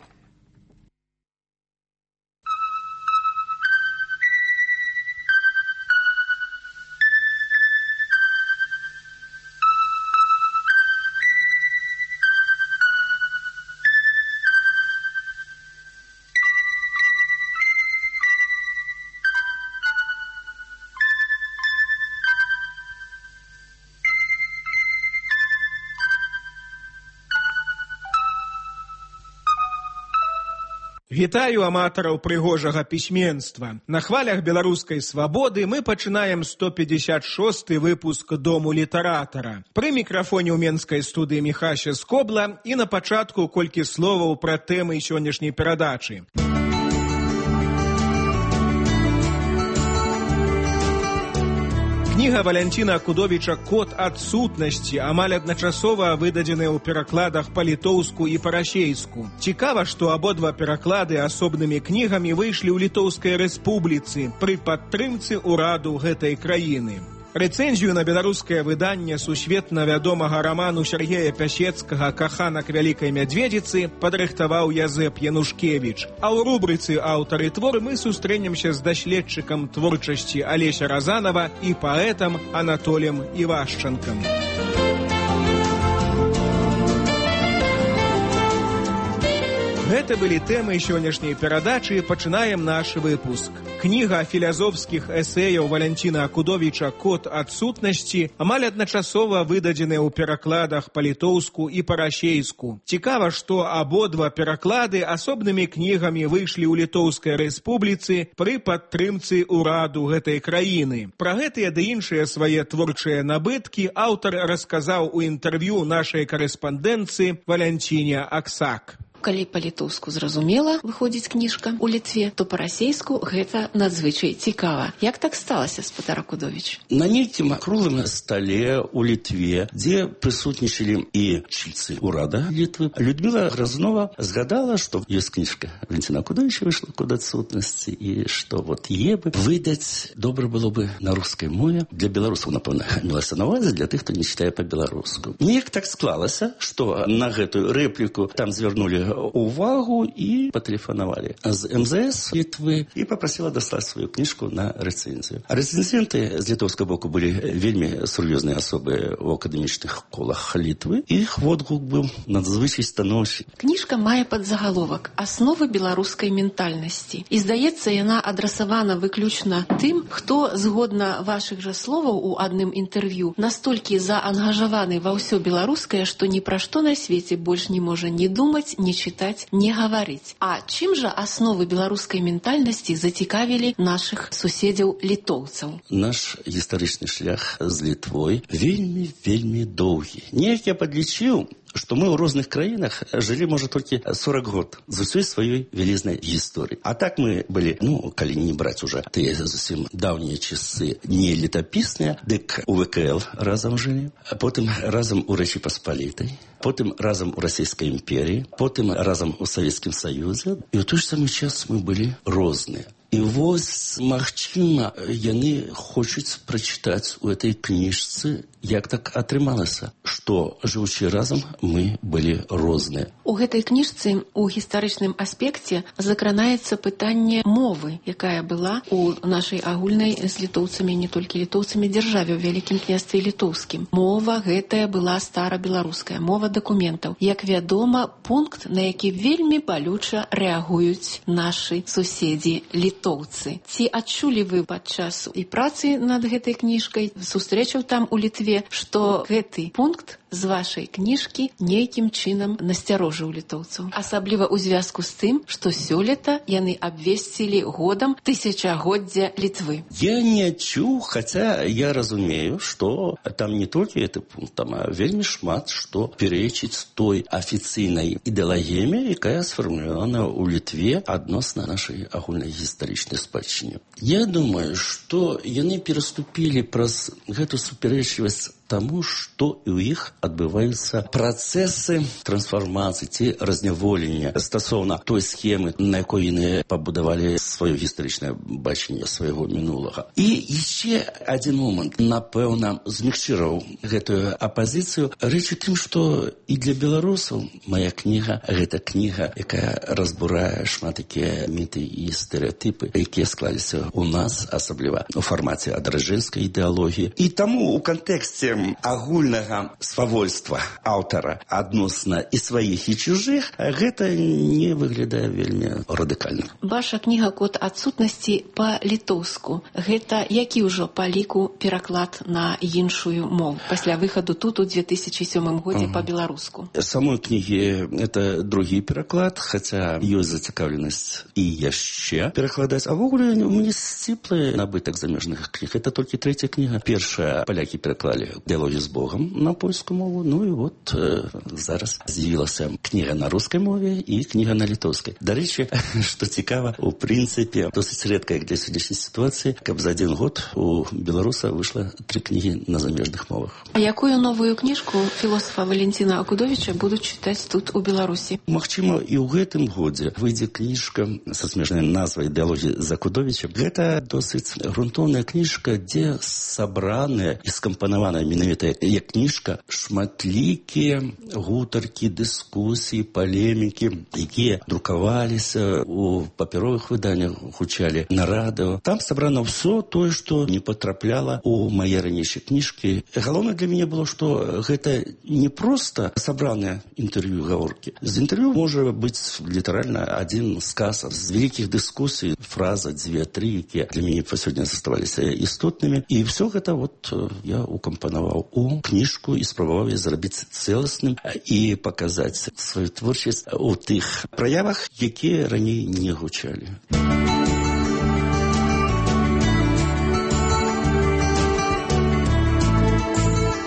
Вітаю аматараў прыгожага пісьменства. На хвалях беларускай свабоды мы пачынаем сто пятьдесят шосты выпуск Дому літаратара. Пры мікрафоне ў менскай студыі Міхася Скобла, і на пачатку колькі словаў пра тэмы сённяшняй перадачы. Кніга Валянціна Акудовіча «Код адсутнасці» амаль адначасова выдадзеная ў перакладах па-літоўску і па-расейску. Цікава, што абодва пераклады асобнымі кнігамі выйшлі ў Літоўскай рэспубліцы пры падтрымцы ўраду гэтай краіны. Рэцэнзію на беларускае выданне сусветна вядомага раману Сергея Пясецкага «Каханак вялікай мядзведзіцы» падрыхтаваў Язэп Янушкевіч. А ў рубрыцы «Аўтары твор» мы сустрэнемся з даследчыкам творчасці Алеся Разанова і паэтам Анатолем Івашчанкам. Гэта былі тэмы сённяшняй перадачы. Пачынаем наш выпуск. Кніга філазофскіх эсэяў Валянціна Акудовіча «Код адсутнасці» амаль адначасова выдадзеная ў перакладах па-літоўску і па-расейску. Цікава, што абодва пераклады асобнымі кнігамі выйшлі ў Літоўскай рэспубліцы пры падтрымцы ўраду гэтай краіны. Пра гэтыя ды іншыя свае творчыя набыткі аўтар расказаў у інтэрв'ю нашай карэспандэнтцы Валянціне Аксак. Калі па-літоўску зразумела выходзіць кніжка ў Літве, то па-расейску гэта надзвычай цікава. Як так сталася, спадар Акудовіч? На нейкім круглым стале ў Літве, дзе прысутнічалі і чільцы ўрада Літвы, Людміла Грознова згадала, што ёсць кніжка Валянціна Акудовіча выйшла «Код адсутнасці», і што вот е бы выдаць добра было бы на рускай мове. Для беларусаў, напэўна, мелася на ўвазе, для тых, хто не чытае па-беларуску. Неяк так склалася, што на гэтую рэпліку там звярнулі увагу і патэлефанавалі з эм зэ эс Літвы і папрасіла даслаць сваю кніжку на рэцэнзію. А рэцэнзенты з літоўскага боку былі вельмі сур'ёзныя асобы ў акадэмічных колах Літвы. Іх водгук быў надзвычай станоўчы. Кніжка мае падзагаловак «Асновы беларускай ментальнасці». І, здаецца, яна адрасавана выключна тым, хто, згодна вашых жа словаў у адным інтэрв'ю, настолькі заангажаваны ва ўсё беларускае, што ні пра што на свеце больш не можа ні думаць, ні чытаць, не гаварыць. А чым жа асновы беларускай ментальнасці зацікавілі нашых суседзяў літоўцаў? Наш гістарычны шлях з Літвой вельмі-вельмі доўгі. Неяк я падлічыў, што мы ў розных краінах жылі, можа, толькі сорок год з усёй сваёй вялізнай гісторыі. А так мы былі, ну, калі не браць уже тыя зусім даўнія часы не летапісныя, дык у вэ ка эл разам жылі, потым разам у Рэчы Паспалітай, потым разам у Расійскай імперіі, потым разам у Савецкім Саюзе. І ў той ж самы час мы былі розныя. І вось, магчыма, яны хочуць прачытаць у этой кніжцы, як так атрымалася, што, жывучы разам, мы былі розныя. У гэтай кніжцы у гістарычным аспекце закранаецца пытанне мовы, якая была у нашай агульнай з літоўцамі, не толькі літоўцамі, дзяржаве ў Вялікім княстве літоўскім. Мова гэтая была старабеларуская, мова дакументаў. Як вядома, пункт, на які вельмі балюча рэагуюць нашы суседзі літоўцы. Ці адчулі вы падчас і працы над гэтай кніжкай, сустрэчаў там у Літве, што гэты пункт з вашай кніжкі нейкім чынам насцярожыў літоўцаў. Асабліва ў звязку з тым, што сёлета яны абвесцілі годам тысячагоддзя Літвы. Я не адчуў, хаця я разумею, што там не толькі гэты пункт, там вельмі шмат што перечыць той афіцыйнай ідэалагіяме, якая сфармулявана ў Літве адносна нашай агульнай гістарычнай спадчыне. Я думаю, што яны пераступілі праз гэту супярэчлівасць таму, што і ў іх адбываюцца працэсы трансфармацыі ці разняволення стасоўна той схемы, на якой яны пабудавалі сваё гістарычнае бачанне свайго мінулага. І яшчэ адзін момант, напэўна, змягчыраў гэтую апазіцыю. Рэч у тым, што і для беларусаў мая кніга — гэта кніга, якая разбурае шмат такія міты і стэрэатыпы, якія склаліся ў нас, асабліва у фармаце адраджэнскай ідэалогіі. І таму у кантэксце агульнага свавольства аўтара адносна і сваіх, і чужых, гэта не выглядае вельмі радыкальна. Ваша кніга «Код адсутнасці» па-літоўску. Гэта які ўжо па ліку пераклад на іншую мову пасля выхаду тут у две тысячи сёмым годзе ага. па-беларуску? Самой кнігі это другі пераклад, хаця ёсць зацікаўленасць і яшчэ перакладаць. А ввогуле у мяне сціплы набытак замежных кніг. Это толькі трэця кніга. Першая палякі пераклалі «Діалоги з Богом» на польську мову. Ну і от е, зараз з'явилася книга на русской мові і книга на литовській. До речі, що цікаво, у принципі, досить рідко, як для сьогоднішньої ситуації, каб за один год у білоруса вийшло три книги на заміжних мовах. А якую новую книжку філософа Валентина Акудовича будуть читати тут у Білорусі? Магчыма, і ў гэтым годзе выйдзе кніжка са смежнай назвай «Діалоги з Акудовичем». Гэта досыць грунтоўная кніжка, дзе сабраныя і скампанаваная менавіта як кніжка шматлікія гутаркі, дыскусіі, палемікі, якія друкаваліся у папяровых выданнях, гучалі на радыо. Там сабрана ўсё тое, што не потрапляла у мае ранейшыя кніжкі. Галоўнае для мяне было, што гэта не проста сабраныя інтэрв'ю, гаворкі. З інтэрв'ю можа быць літаральна адзін сказ з вялікіх дыскусій, фраза, дзве, тры, якія для мяне па сёння заставаліся істотнымі. І все гэта вот я укампанаваў у кніжку і спрабаваў я зрабіць цэласным і паказаць сваю творчасць у тых праявах, якія раней не гучалі.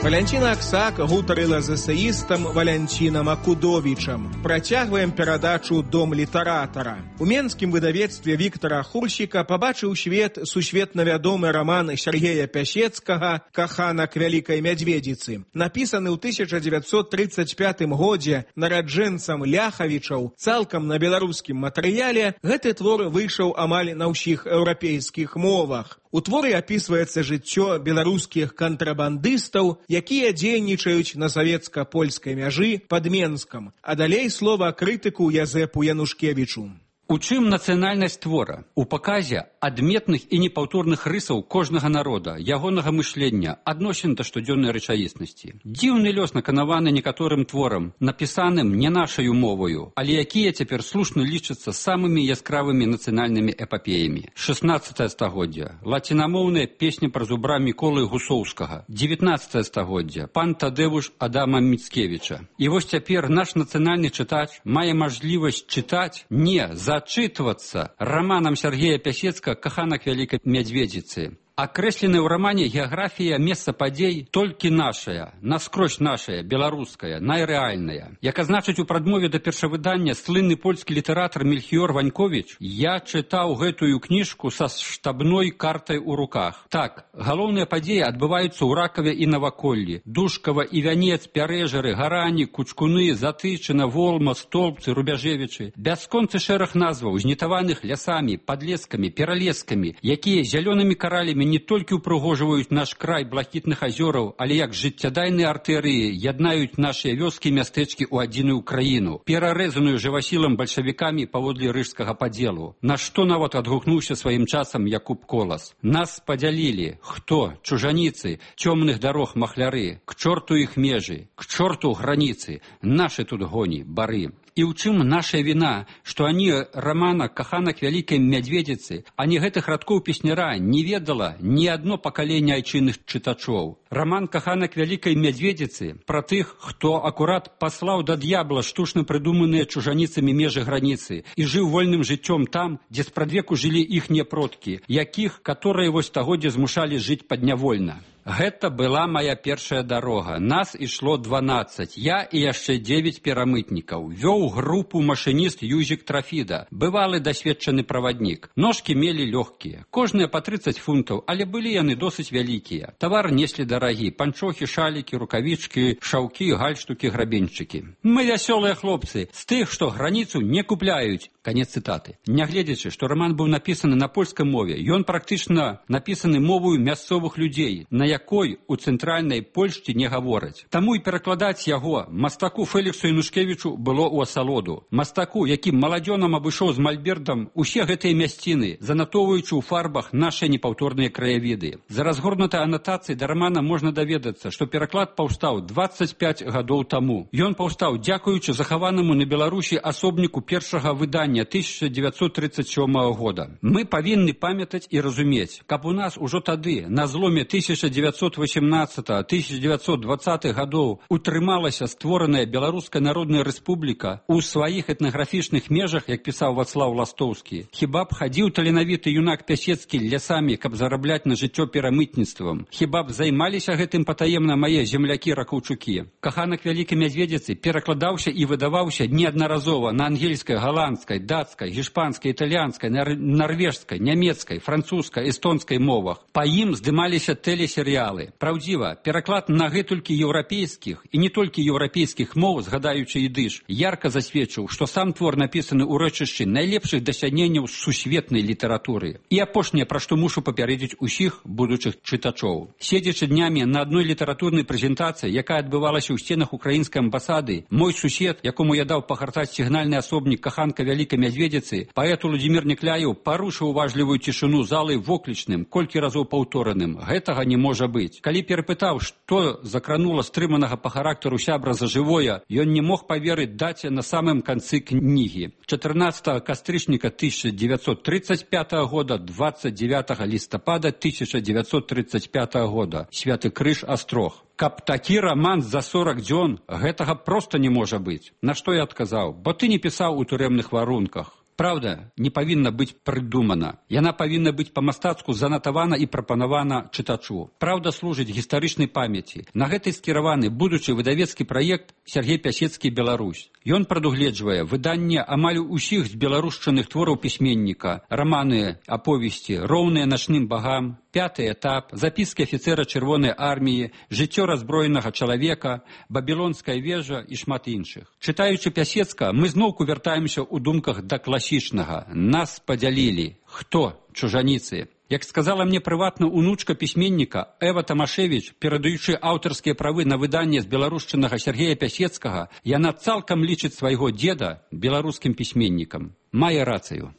Валянціна Аксак гутарыла з эсеістам Валянцінам Акудовічам. Працягваем перадачу «Дом літаратара». У менскім выдавецтве Віктара Хурсіка пабачыў свет сусветна вядомы раман Сергея Пясецкага «Каханак вялікай мядзведзіцы». Напісаны ў тысяча дзевяцьсот трыццаць пятым годзе нараджэнцам Ляхавічаў цалкам на беларускім матэрыяле, гэты твор выйшаў амаль на ўсіх еўрапейскіх мовах. У творы апісваецца жыццё беларускіх кантрабандыстаў, якія дзейнічаюць на савецка-польскай мяжы пад Менскам. А далей слова крытыку Язэпу Янушкевічу. У чым нацыянальнасць твора? У паказе адметных і непаўторных рысаў кожнага народа, ягонага мышлення, адносін да штодзённай рэчаіснасці. Дзіўны лёс наканаваны некаторым творам, напісаным не нашаю моваю, але якія цяпер слушна лічацца самымі яскравымі нацыянальнымі эпапеямі. шаснаццатае стагоддзе. Лацінамоўная песня пра зубра Міколы Гусоўскага. дзевятнаццатае стагоддзе. Пан Тадэвуш Адама Міцкевіча. І вось цяпер наш нацыянальны чытач мае мажлівасць чытаць не за зачитываться романом Сергея Пясецкага «Каханак вялікай мядзведзіцы». Акрэсленая ў рамане геаграфія месца падзей толькі нашая, наскрозь нашая, беларуская, найрэальная. Як азначыць у прадмове да першавыдання слынны польскі літаратар Мельхіёр Ваньковіч, я чытаў гэтую кніжку са штабной картай у руках. Так, галоўныя падзеі адбываюцца ў Ракаве і Наваколлі, Душкава і Вянец, Пярэжары, Гарані, Кучкуны, Затычына, Волма, Столбцы, Рубяжевічы. Бясконцы шэраг назваў, знітаваных лясамі, падлескамі, пералескамі, якія зялёнымі каралямі не толькі ўпрыгожваюць наш край блакітных азёраў, але як жыццядайныя артэрыі яднаюць нашыя вёскі і мястэчкі ў адзіную краіну, перарэзаную жывасілам бальшавікамі паводле рыжскага падзелу. На што нават адгукнуўся сваім часам Якуб Колас. Нас падзялілі. Хто? Чужаніцы, цёмных дарог махляры, к чорту іх межы, к чорту граніцы, нашы тут гоні, бары. І ў чым наша віна, што ані рамана «Каханак вялікай мядзведзіцы», ані гэтых радкоў песняра не ведала ні адно пакаленне айчынных чытачоў. Раман «Каханак вялікай мядзведзіцы» пра тых, хто акурат паслаў да д'ябла штучна прыдуманыя чужаніцамі межы граніцы і жыў вольным жыццём там, дзе спрадвеку жылі іхнія продкі, якіх, каторыя вось стагоддзя змушалі жыць паднявольна. Гэта была моя першая дарога. Нас ішло дванаццаць. Я і яшчэ дзевяць перамытнікаў. Вёў групу машыніст Юзік Трафіда, бывалы дасведчаны праваднік. Ножкі мелі лёгкія, кожныя па трыццаць фунтаў, але былі яны досыць вялікія. Тавар неслі дарагі, панчохі, шалікі, рукавічкі, шаўкі, гальштукі, грабеньчыкі. Мы вясёлыя хлопцы, з тых, што граніцу не купляюць. Канец цытаты. Нягледзячы, што раман быў напісаны на польскай мове, ён практычна напісаны мовою мясцовых людзей, на якой у цэнтральнай Польшчы не гавораць. Таму і перакладаць яго мастаку Феліксу Янушкевічу было ў асалоду. Мастаку, які маладзёнам абышоў з мальбертам усе гэтыя мясціны, занатоўваючы ў фарбах нашы непаўторныя краявіды. За разгорнутай анатацыяй да рамана можна даведацца, што пераклад паўстаў дваццаць пяць гадоў таму. Ён паўстаў дзякуючы захаванаму на Беларусі асобніку першага выдання тысяча дзевяцьсот трыццаць сёмага года. Мы павінны памятаць і разумець, каб у нас ужо тады, на зломе тысяча дзевяцьсот девятьсот восемнадцатого — тысяча девятьсот двадцатых гадоў утрымалася створаная Беларуская Народная Рэспубліка ў сваіх этнаграфічных межах, як пісаў Вацлаў Ластоўскі, хіба б хадзіў таленавіты юнак Пясецкі лясамі, каб зарабляць на жыццё перамытніцтвам? Хіба б займаліся гэтым патаемна мае землякі-ракаўчукі? Каханак Вялікай Мядзведзіцы перакладаўся і выдаваўся неаднаразова на ангельскай, галандскай, дацкай, гішпанскай, італьянскай, нар нарвежскай, нямецкай, французскай, эстонскай мовах. Па ім здымаліся тэлесерыялы. Праўдзіва, пераклад на гэтулькі еўрапейскіх і не толькі еўрапейскіх моў, згадаючы ідыш, ярка засведчыў, што сам твор напісаны ў рэчышчы найлепшых дасягненняў сусветнай літаратуры. І апошняе, пра што мушу папярэдзіць усіх будучых чытачоў. Седзячы днямі на адной літаратурнай прэзентацыі, якая адбывалася ў сценах украінскай амбасады, мой сусед, якому я даў пагартаць сігнальны асобнік каханка Вялікай Мядзведзіцы, паэт Уладзімір Некляеў парушыў уважлівую цішыню залы воклічным, колькі разоў паўтораным: гэтага не можа быць. Калі перапытаў, што закранула стрыманага па характару сябра за жывое, ён не мог паверыць даце на самым канцы кнігі. чатырнаццатага кастрычніка тысяча девятьсот тридцать пятого года, двадцать девятого лістапада тысяча девятьсот тридцать пятого года. Святы Крыж, Астрог. Каб такі роман за сорок дзён, гэтага проста не можа быць. На што я адказаў: бо ты не пісаў у турэмных варунках. Праўда не павінна быць прыдумана. Яна павінна быць па-мастацку занатавана і прапанавана чытачу. Праўда служыць гістарычнай памяці. На гэты скіраваны будучы выдавецкі праект Сергей Пясецкі «Беларусь». Ён прадугледжвае выданне амаль усіх з беларушчыных твораў пісьменніка: раманы, аповесці, роўныя начным багам, пяты этап, запіскі афіцэра Чырвонай арміі, жыццё раззброенага чалавека, бабілонская вежа і шмат іншых. Чытаючы Пясецка, мы зноўку вяртаемся ў думках да класічнага. Нас падзялілі. Хто? Чужаніцы. Як сказала мне прыватна унучка пісьменніка Эва Тамашевіч, перадаючы аўтарскія правы на выданне з беларушчынага Сергея Пясецкага, яна цалкам лічыць свайго дзеда беларускім пісьменнікам. Мае рацыю.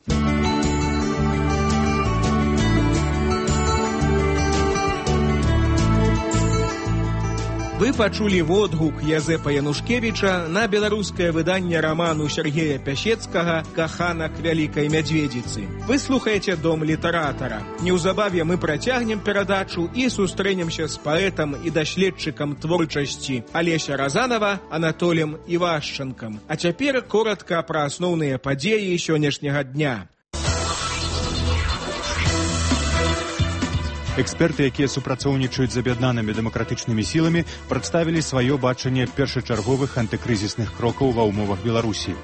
Вы пачулі водгук Язэпа Янушкевіча на беларускае выданне раману Сергея Пясецкага «Каханак Вялікай Мядзведзіцы». Вы слухаеце Дом літаратара. Неўзабаве мы працягнем перадачу і сустрэнемся з паэтам і даследчыкам творчасці Алеся Разанова Анатолем Івашчанкам. А цяпер коратка пра асноўныя падзеі сённяшняга дня. Эксперты, якія супрацоўнічаюць з аб'яднанымі дэмакратычнымі сіламі, прадставілі сваё бачанне першачарговых антыкрызісных крокаў ва ўмовах Беларусі.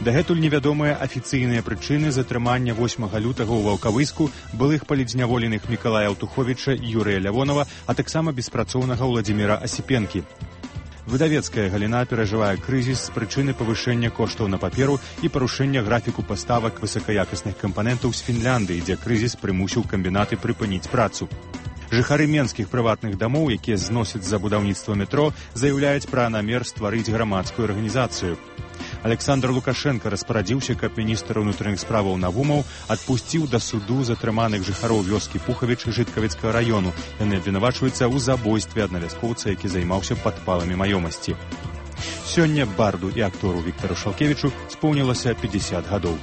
Дагэтуль невядомыя афіцыйныя прычыны затрымання восьмага лютага ў Ваўкавыску былых палідзняволеных Мікалая Аўтуховіча і Юрыя Лявонова, а таксама беспрацоўнага Ўладзіміра Асіпенкі. Выдавецкая галіна перажывае крызіс з прычыны павышэння коштаў на паперу і парушэння графіку паставак высакаякасных кампанентаў з Фінляндыі, дзе крызіс прымусіў камбінаты прыпыніць працу. Жыхары менскіх прыватных дамоў, якія зносяць за будаўніцтва метро, заяўляюць пра намер стварыць грамадскую арганізацыю. Александр Лукашенко распарадзіўся, каб міністр унутраных справаў Навумаў адпусціў да суду затрыманых жыхароў вёскі Пухавіч Жыткавіцкага раёну. Яны абвінавачваюцца ў забойстве аднавязкоўца, які займаўся падпаламі маёмасці. Сёння барду і актору Віктару Шалкевічу споўнілася пятьдесят гадоў.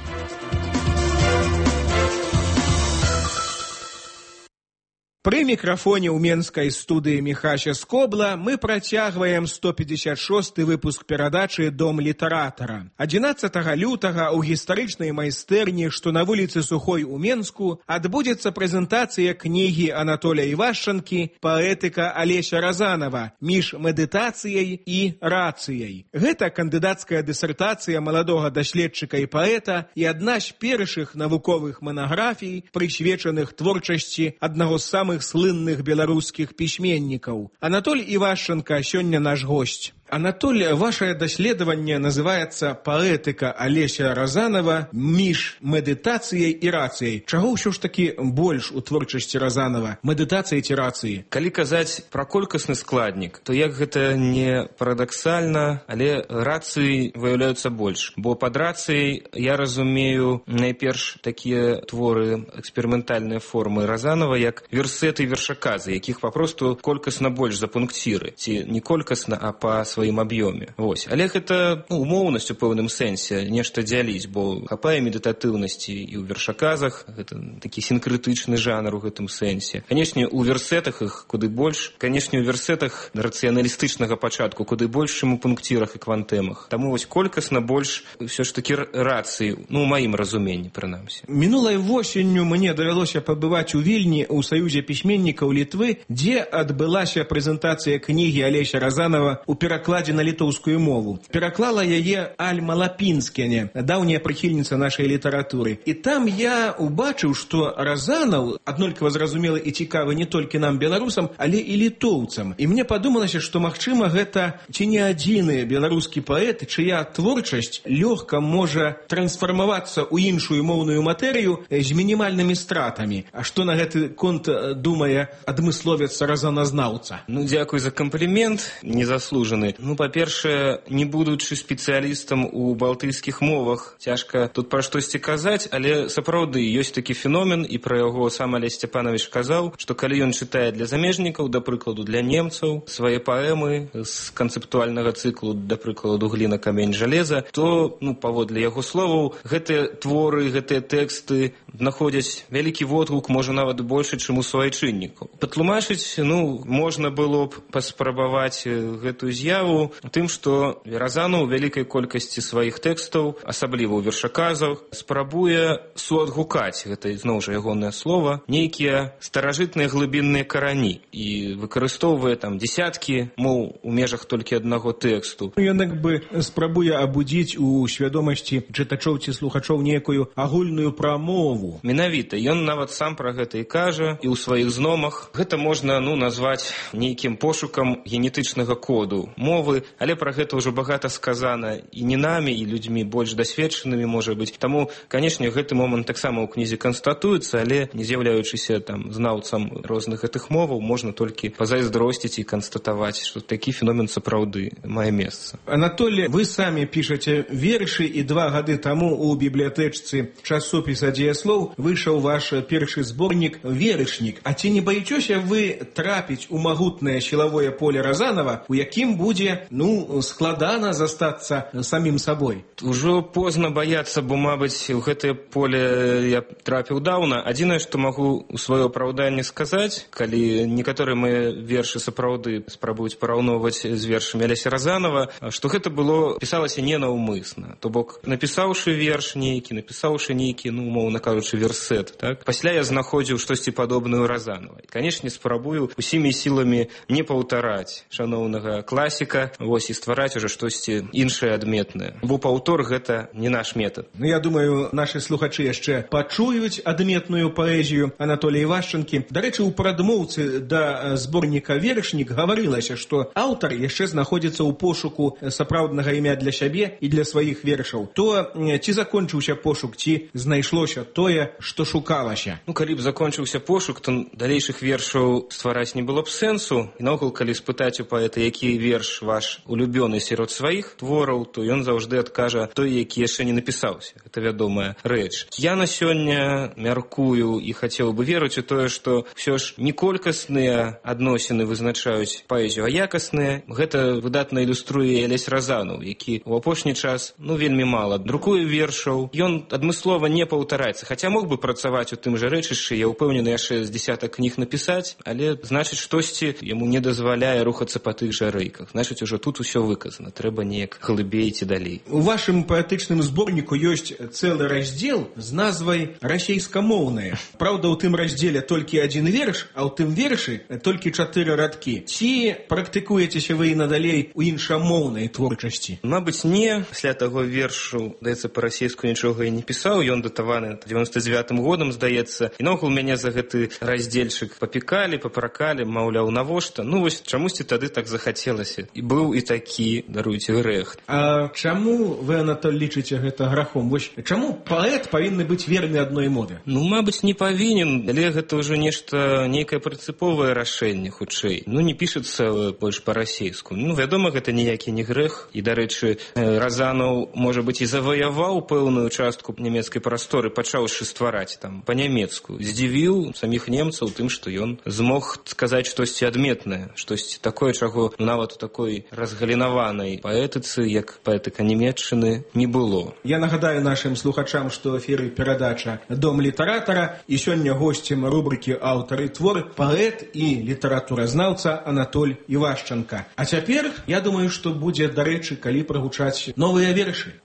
Пры мікрафоне ў менскай студыі Міхася Скобла мы працягваем сто пятьдесят шосты выпуск перадачы «Дом літаратара». адзінаццатага лютага ў гістарычнай майстэрні, што на вуліцы Сухой у Менску, адбудзецца прэзентацыя кнігі Анатоля Івашчанкі «Паэтыка Алеся Разанова. Між медытацыяй і рацыяй». Гэта кандыдацкая дысертацыя маладога даследчыка і паэта і адна з першых навуковых манаграфій, прысвечаных творчасці аднаго з самых слынных беларускіх пісьменнікаў. Анатоль Івашчанка сёння наш госць. Анатоль, ваше даследаванне называецца «Паэтыка Алеся Разанова. Між медытацыяй і рацыяй». Чаго ўсё ж такі больш у творчасці Разанова? Медытацыі ці рацыі? Калі казаць пра колькасны складнік, то як гэта не парадаксальна, але рацыі выяўляюцца больш. Бо пад рацыяй я разумею найперш такія творы, эксперыментальныя формы Разанова, як версеты і вершаказы, якіх папросту колькасна больш за пункціры. Ці не колькасна, а па сваёй сваім аб'ёме. Вось. Але гэта ну, умоўнасць у пэўным сэнсе нешта дзяліць, бо хапае медытатыўнасці і ў вершаказах, гэта такі сінкрытычны жанр у гэтым сэнсе. Канешне, у версетах іх куды больш, канешне, у версетах рацыяналістычнага пачатку куды больш, чым у пунктірах і квантэмах. Таму вось колькасна больш ўсё ж такі рацыі, ну, у маім разуменні, прынамсі. Мінулай восенню мне давялося пабываць у Вільні ў Саюзе пісьменнікаў Літвы, дзе адбылася прэзентацыя кнігі Алеся Разанова ў перакладзе на літоўскую мову. Пераклала яе Альма Лапінскене, даўняя прыхільніца нашай літаратуры. І там я убачыў, што Разанаў аднолькава зразумелы і цікавы не толькі нам, беларусам, але і літоўцам. І мне падумалася, што, магчыма, гэта ці не адзіны беларускі паэт, чыя творчасць лёгка можа трансфармавацца ў іншую моўную матэрыю з мінімальнымі стратамі. А што на гэты конт думае адмысловец разаназнаўца? Ну, дзякуй за камплімент, незаслужаны. Ну, па-першае, не будучы спецыялістам у балтыйскіх мовах, цяжка тут пра штосьці казаць, але сапраўды ёсць такі феномен, і пра яго сам Алесь Сцяпанович казаў, што калі ён чытае для замежнікаў, да прыкладу для немцаў, свае паэмы з канцэптуальнага цыклу, да прыкладу гліна, камень, жалеза, то, ну, паводле яго словаў, гэтыя творы, гэтыя тэксты знаходзяць вялікі водгук, можа нават больше, чым у суайчыннікаў. Патлумачыць, ну, можна было б паспрабаваць гэтую з'яву тым, што Разанаў у вялікай колькасці сваіх тэкстаў, асабліва ў вершаказах, спрабуе суадгукаць, гэта зноў жа ягонае слова, нейкія старажытныя глыбінныя карані і выкарыстоўвае там дзесяткі моў у межах толькі аднаго тэксту. Ён як бы спрабуе абудзіць у свядомасці чытачоў ці слухачоў некую агульную прамову. Менавіта, ён нават сам пра гэта і кажа, і ў сваіх зномах. Гэта можна, ну, назваць нейкім пошукам генетычнага коду мовы, але пра гэта ўжо багата сказана і не намі, і людзьмі больш дасведчанымі, можа быць. Таму, канешне, гэты момант таксама ў кнізе канстатуецца, але не з'яўляючыся там знаўцам розных гэтых моваў, можна толькі пазайздросціць і канстатаваць, што такі феномен сапраўды мае месца. Анатолий, вы самі пішаце вершы, і два гады таму у бібліятэчцы часопіса «Дзеяслоў» выйшаў ваш першы зборнік «Верышнік». А ці не баіцеся вы трапіць у магутнае сілавое поле Разанова, у якім будзе, ну, складана застацца самім сабой? Ужо позна баяцца, бо, мабыць, у гэтае поле я трапіў даўна. Адзінае, што магу у сваё апраўданне сказаць, калі некаторыя мае вершы сапраўды спрабуюць параўноўваць з вершамі Алеся Разанова, што гэта было, пісалася ненаўмысна. То бок, напісаўшы верш нейкі, напісаўшы нейкі, ну, умоўна кажучы, версет, так? Пасля я знаходзіў штосьці падобнае ў Разанова. Канешне, спрабую усімі сіламі не паўтараць шаноўнага класіка, вось, і ствараць ужо штосьці іншае адметнае. Бо паўтор гэта не наш метад. Ну, я думаю, нашы слухачы яшчэ пачуюць адметную паэзію Анатолія Івашчанкі. Дарэчы, у прадмоўцы да зборніка «Верышнік» гаварылася, што аўтар яшчэ знаходзіцца ў пошуку сапраўднага імя для сябе і для сваіх вершаў. То ці закончыўся пошук, ці знайшлося тое, што шукалася? Ну, калі б закончыўся пошук, то далейшых вершаў ствараць не было б сэнсу. І наогул, калі спытаць у паэта, які верш ваш улюбёны сярод сваіх твораў, то ён заўжды адкажа той, які яшчэ не напісаўся. Гэта вядомая рэч. Я на сёння мяркую і хацеў бы верыць у тое, што ўсё ж не колькасныя адносіны вызначаюць паэзію, а якасныя. Гэта выдатна ілюструе Алесь Разанаў, які ў апошні час, ну, вельмі мала друкуе вершаў. Ён адмыслова не паўтараецца, хаця мог бы працаваць у тым жа рэчышчы, я ўпэўнены, яшчэ з дзесятак кніг напісаць, але, значыць, штосьці яму не дазваляе рухацца па тых жа рэйках. Значыць, ужо тут усё выказана, трэба неяк глыбей ці далей. У вашым паэтычным зборніку ёсць цэлы раздзел з назвай «Расейскамоўнае». Праўда, у тым раздзеле толькі адзін верш, а ў тым вершы толькі чатыры радкі. Ці практыкуецеся вы і надалей у іншамоўнай творчасці? Мабыць, не. Пасля таго вершу, здаецца, па-расейску нічога і не пісаў. Ён датаваны дзевяносто девятым годам, здаецца. І наогул мяне за гэты раздзельчык папікалі, папракалі, маўляў, навошта. Ну, вось чамусьці тады так захацелася. І быў і такі, даруйце, грэх. А чаму вы, Анатоль, лічыце гэта грахом? Вось чаму паэт павінны быць верны адной мове? Ну, мабыць, не павінен, але гэта ўжо нешта, нейкае прынцыповае рашэнне, хутчэй. Ну, не пішацца больш па-расейску. Ну, вядома, гэта ніякі не грэх. І, дарэчы, Разанаў, можа быць, і заваяваў пэўную частку нямецкай прасторы, пачаўшы ствараць там па-нямецку. Здзівіў саміх немцаў тым, што ён змог сказаць штосьці адметнае, штосьці такое, чаго, ну, нават у такой такой разгалінаванай паэтыцы, як паэтыка нямецчыны, не было. Я нагадаю нашим слухачам, што ў эфіры перадача «Дом літаратара», і сёння госцем рубрыкі «Аўтары твор» паэт і літаратуразнаўца Анатоль Івашчанка. А цяпер, я думаю, што будзе дарэчы, калі прагучаць новыя вершы.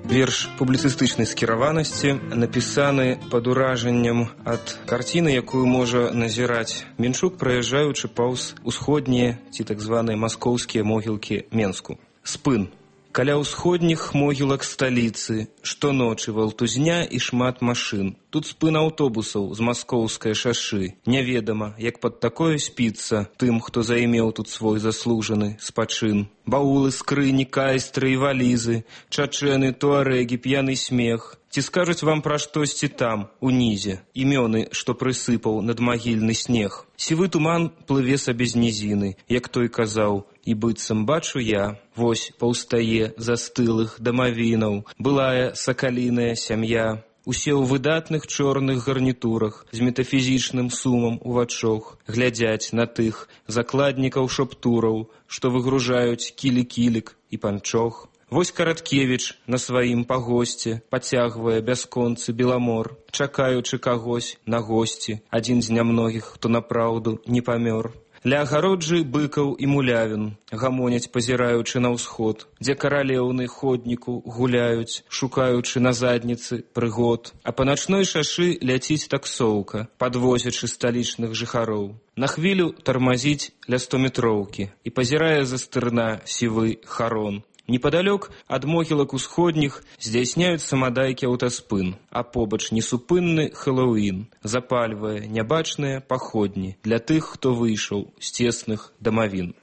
Верш публіцыстычнай скіраванасці напісаны пад уражаннем ад карціны, якую можа назіраць Менчук, праязджаючы паўз усходнія ці так званыя маскоўскія могілкі Менску. Спын. Каля ўсходніх могілак сталіцы штоночы валтузня і шмат машын. Тут спын аўтобусаў з маскоўскай шашы. Няведама, як пад такое спіцца тым, хто займеў тут свой заслужаны спачын. Баулы, скрыні, кайстры і валізы, чачэны, туарэгі, п'яны смех. Ці скажуць вам пра штосьці там, унізе, імёны, што прысыпаў надмагільны снег. Сівы туман плыве сабе з нізіны, як той казаў, і быццам бачу я, вось паўстае застылых дамавінаў, былая сакаліная сям'я. Усе ў выдатных чорных гарнітурах, з метафізічным сумам у вачох, глядзяць на тых закладнікаў шоптураў, што выгружаюць кілі-кілік і панчох. Вось Караткевіч на сваім пагосце пацягвае бясконцы беламор, чакаючы кагось на госці, адзін з нямногіх, хто напраўду не памёр. Ля агароджы быкаў і мулявін гамоняць, пазіраючы на ўсход, дзе каралеўны ходніку гуляюць, шукаючы на задніцы прыгод. А па начной шашы ляціць таксоўка, падвозячы сталічных жыхароў. На хвілю тармазіць ля стометроўкі і пазірае за стырна сівы харон. Непадалёк ад могілак усходніх здзяйсняюць самадайкі аўтаспын, а побач несупынны Хэллоуін запальвае нябачныя паходні для тых, хто выйшаў з цесных дамавін.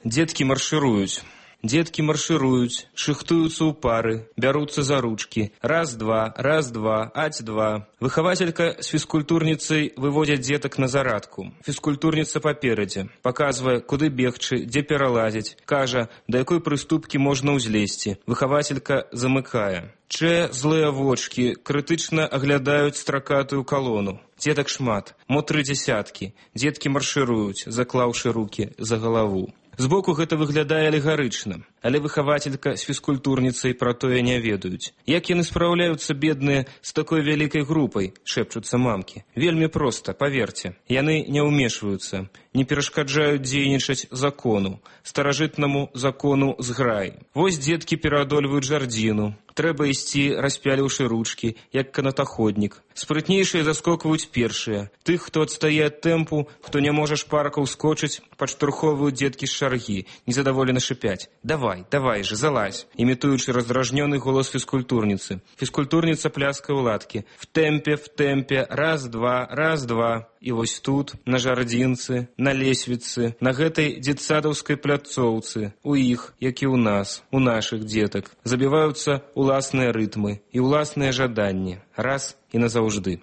Дзеткі маршыруюць. Дзеткі маршыруюць, шыхтуюцца ў пары, бяруцца за ручкі. Раз-два, раз-два, аць-два. Выхавацелька з фізкультурніцай выводзяць дзетак на зарадку. Фізкультурніца паперадзе, паказвае, куды бегчы, дзе пералазіць, кажа, да якой прыступкі можна ўзлезці. Выхавацелька замыкае. Чэ злыя вочкі крытычна аглядаюць стракатую калону. Дзетак шмат, мо тры дзясяткі. Дзеткі маршыруюць, заклаўшы рукі за галаву. Збоку гэта выглядае алегарычна, але выхавацелька з фізкультурніцай пра тое не ведаюць. Як яны спраўляюцца, бедныя, з такой вялікай групай, шэпчуцца мамкі. Вельмі проста, паверце. Яны не ўмешваюцца, не перашкаджаюць дзейнічаць закону, старажытнаму закону зграй. Вось дзеткі пераадольваюць жардзіну. Трэба ісці, распяліўшы ручкі, як канатаходнік. Спрытнейшыя заскокваюць першыя. Тых, хто адстае ад тэмпу, хто не можа шпарка ўскочыць, падштурхоўваюць дзеткі з шаргі, незадаволена шыпяць. Давай, давай же, залазь, імітуючы раздражнёны голас фізкультурніцы. Фізкультурніца пляскае ў ладкі. В тэмпе, в тэмпе, раз-два, раз-два. І вось тут, на жардзінцы, на лесвіцы, на гэтай дзетсадаўскай пляцоўцы, у іх, як і ў нас, у нашых дзетак, забіваюцца уласныя рытмы і уласныя жаданні, раз і назаўжды.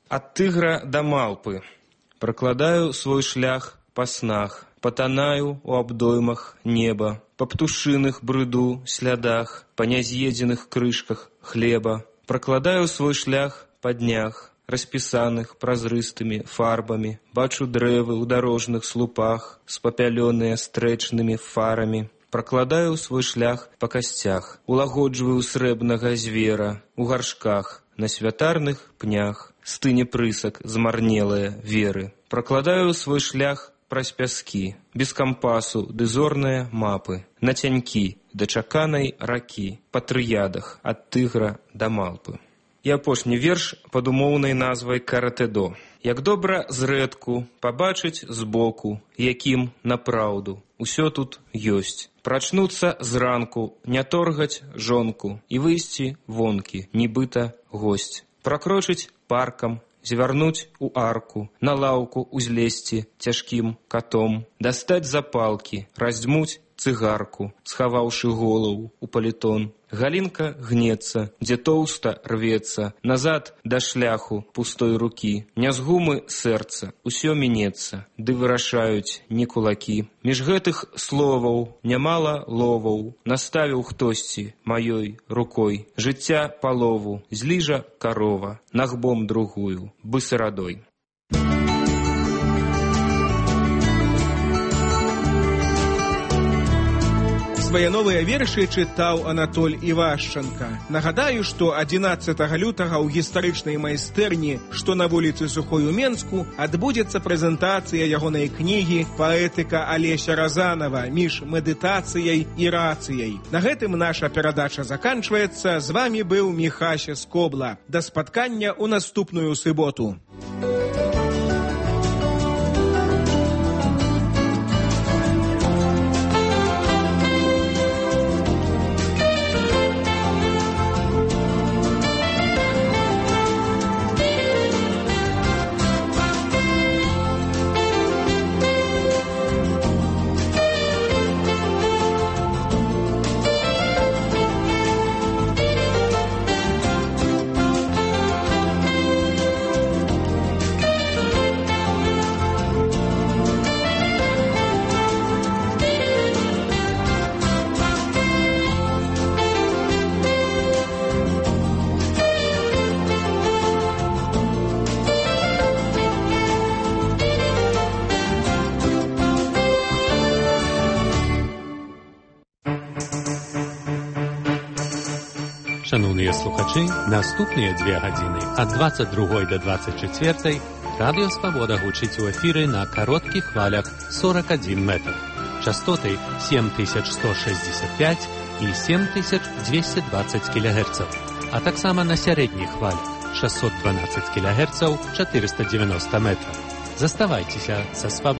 Ад тыгра да малпы пракладаю свой шлях па снах, патанаю у абдоймах неба, па птушыных брыду слядах, па няз'едзеных крышках хлеба, пракладаю свой шлях па днях, распісаных празрыстымі фарбамі, бачу дрэвы ў дарожных слупах, спапялёныя стрэчнымі фарамі. Пракладаю свой шлях па касцях, улагоджваю срэбнага звера, у гаршках, на святарных пнях, стыне прысак змарнелыя веры. Пракладаю свой шлях праз пяскі, без кампасу ды зорныя мапы, на цянькі да чаканай ракі, па трыядах ад тыгра да малпы. І апошні верш пад умоўнай назвай «Каратэдо». Як добра зрэдку пабачыць збоку, якім напраўду усё тут ёсць. Прачнуцца зранку, не торгаць жонку і выйсці вонкі, нібыта госць. Пракрочыць паркам, звярнуць у арку, на лаўку узлезці цяжкім катом, дастаць запалкі, раздзьмуць цыгарку, схаваўшы голову у палітон, Галинка гнется, где толсто рвется, назад до шляху пустой руки. Не з гумы сэрца, усё мінецца, ды вырашаюць не кулакі. Між гэтых словаў нямала ловаў, наставіў хтосьці маёй рукой. Жыцця палову, зліжа карова, нагбом другую, бысарадой. Свае новыя вершы чытаў Анатоль Івашчанка. Нагадаю, што адзінаццатага лютага ў гістарычнай майстэрні, што на вуліцы Сухой у Менску, адбудзецца прэзентацыя ягонай кнігі «Паэтыка Алеся Разанова. Між медытацыяй і рацыяй». На гэтым наша перадача заканчваецца. З вамі быў Міхася Скобла. Да спаткання ў наступную суботу. Шановныя слухачы, наступныя дзве гадзіны ад дваццаць другой да дваццаць чацвёртай Радыё Свабода гучыць у эфіры на кароткіх хвалях сорок адзін метр, частоты сем тысяч сто шестьдесят пять і сем тысяч двести двадцать кілогерцаў, а таксама на сярэдніх хвалях шестьсот двенадцать кілогерцаў, четыреста девяносто метров. Заставайцеся са Свабодай.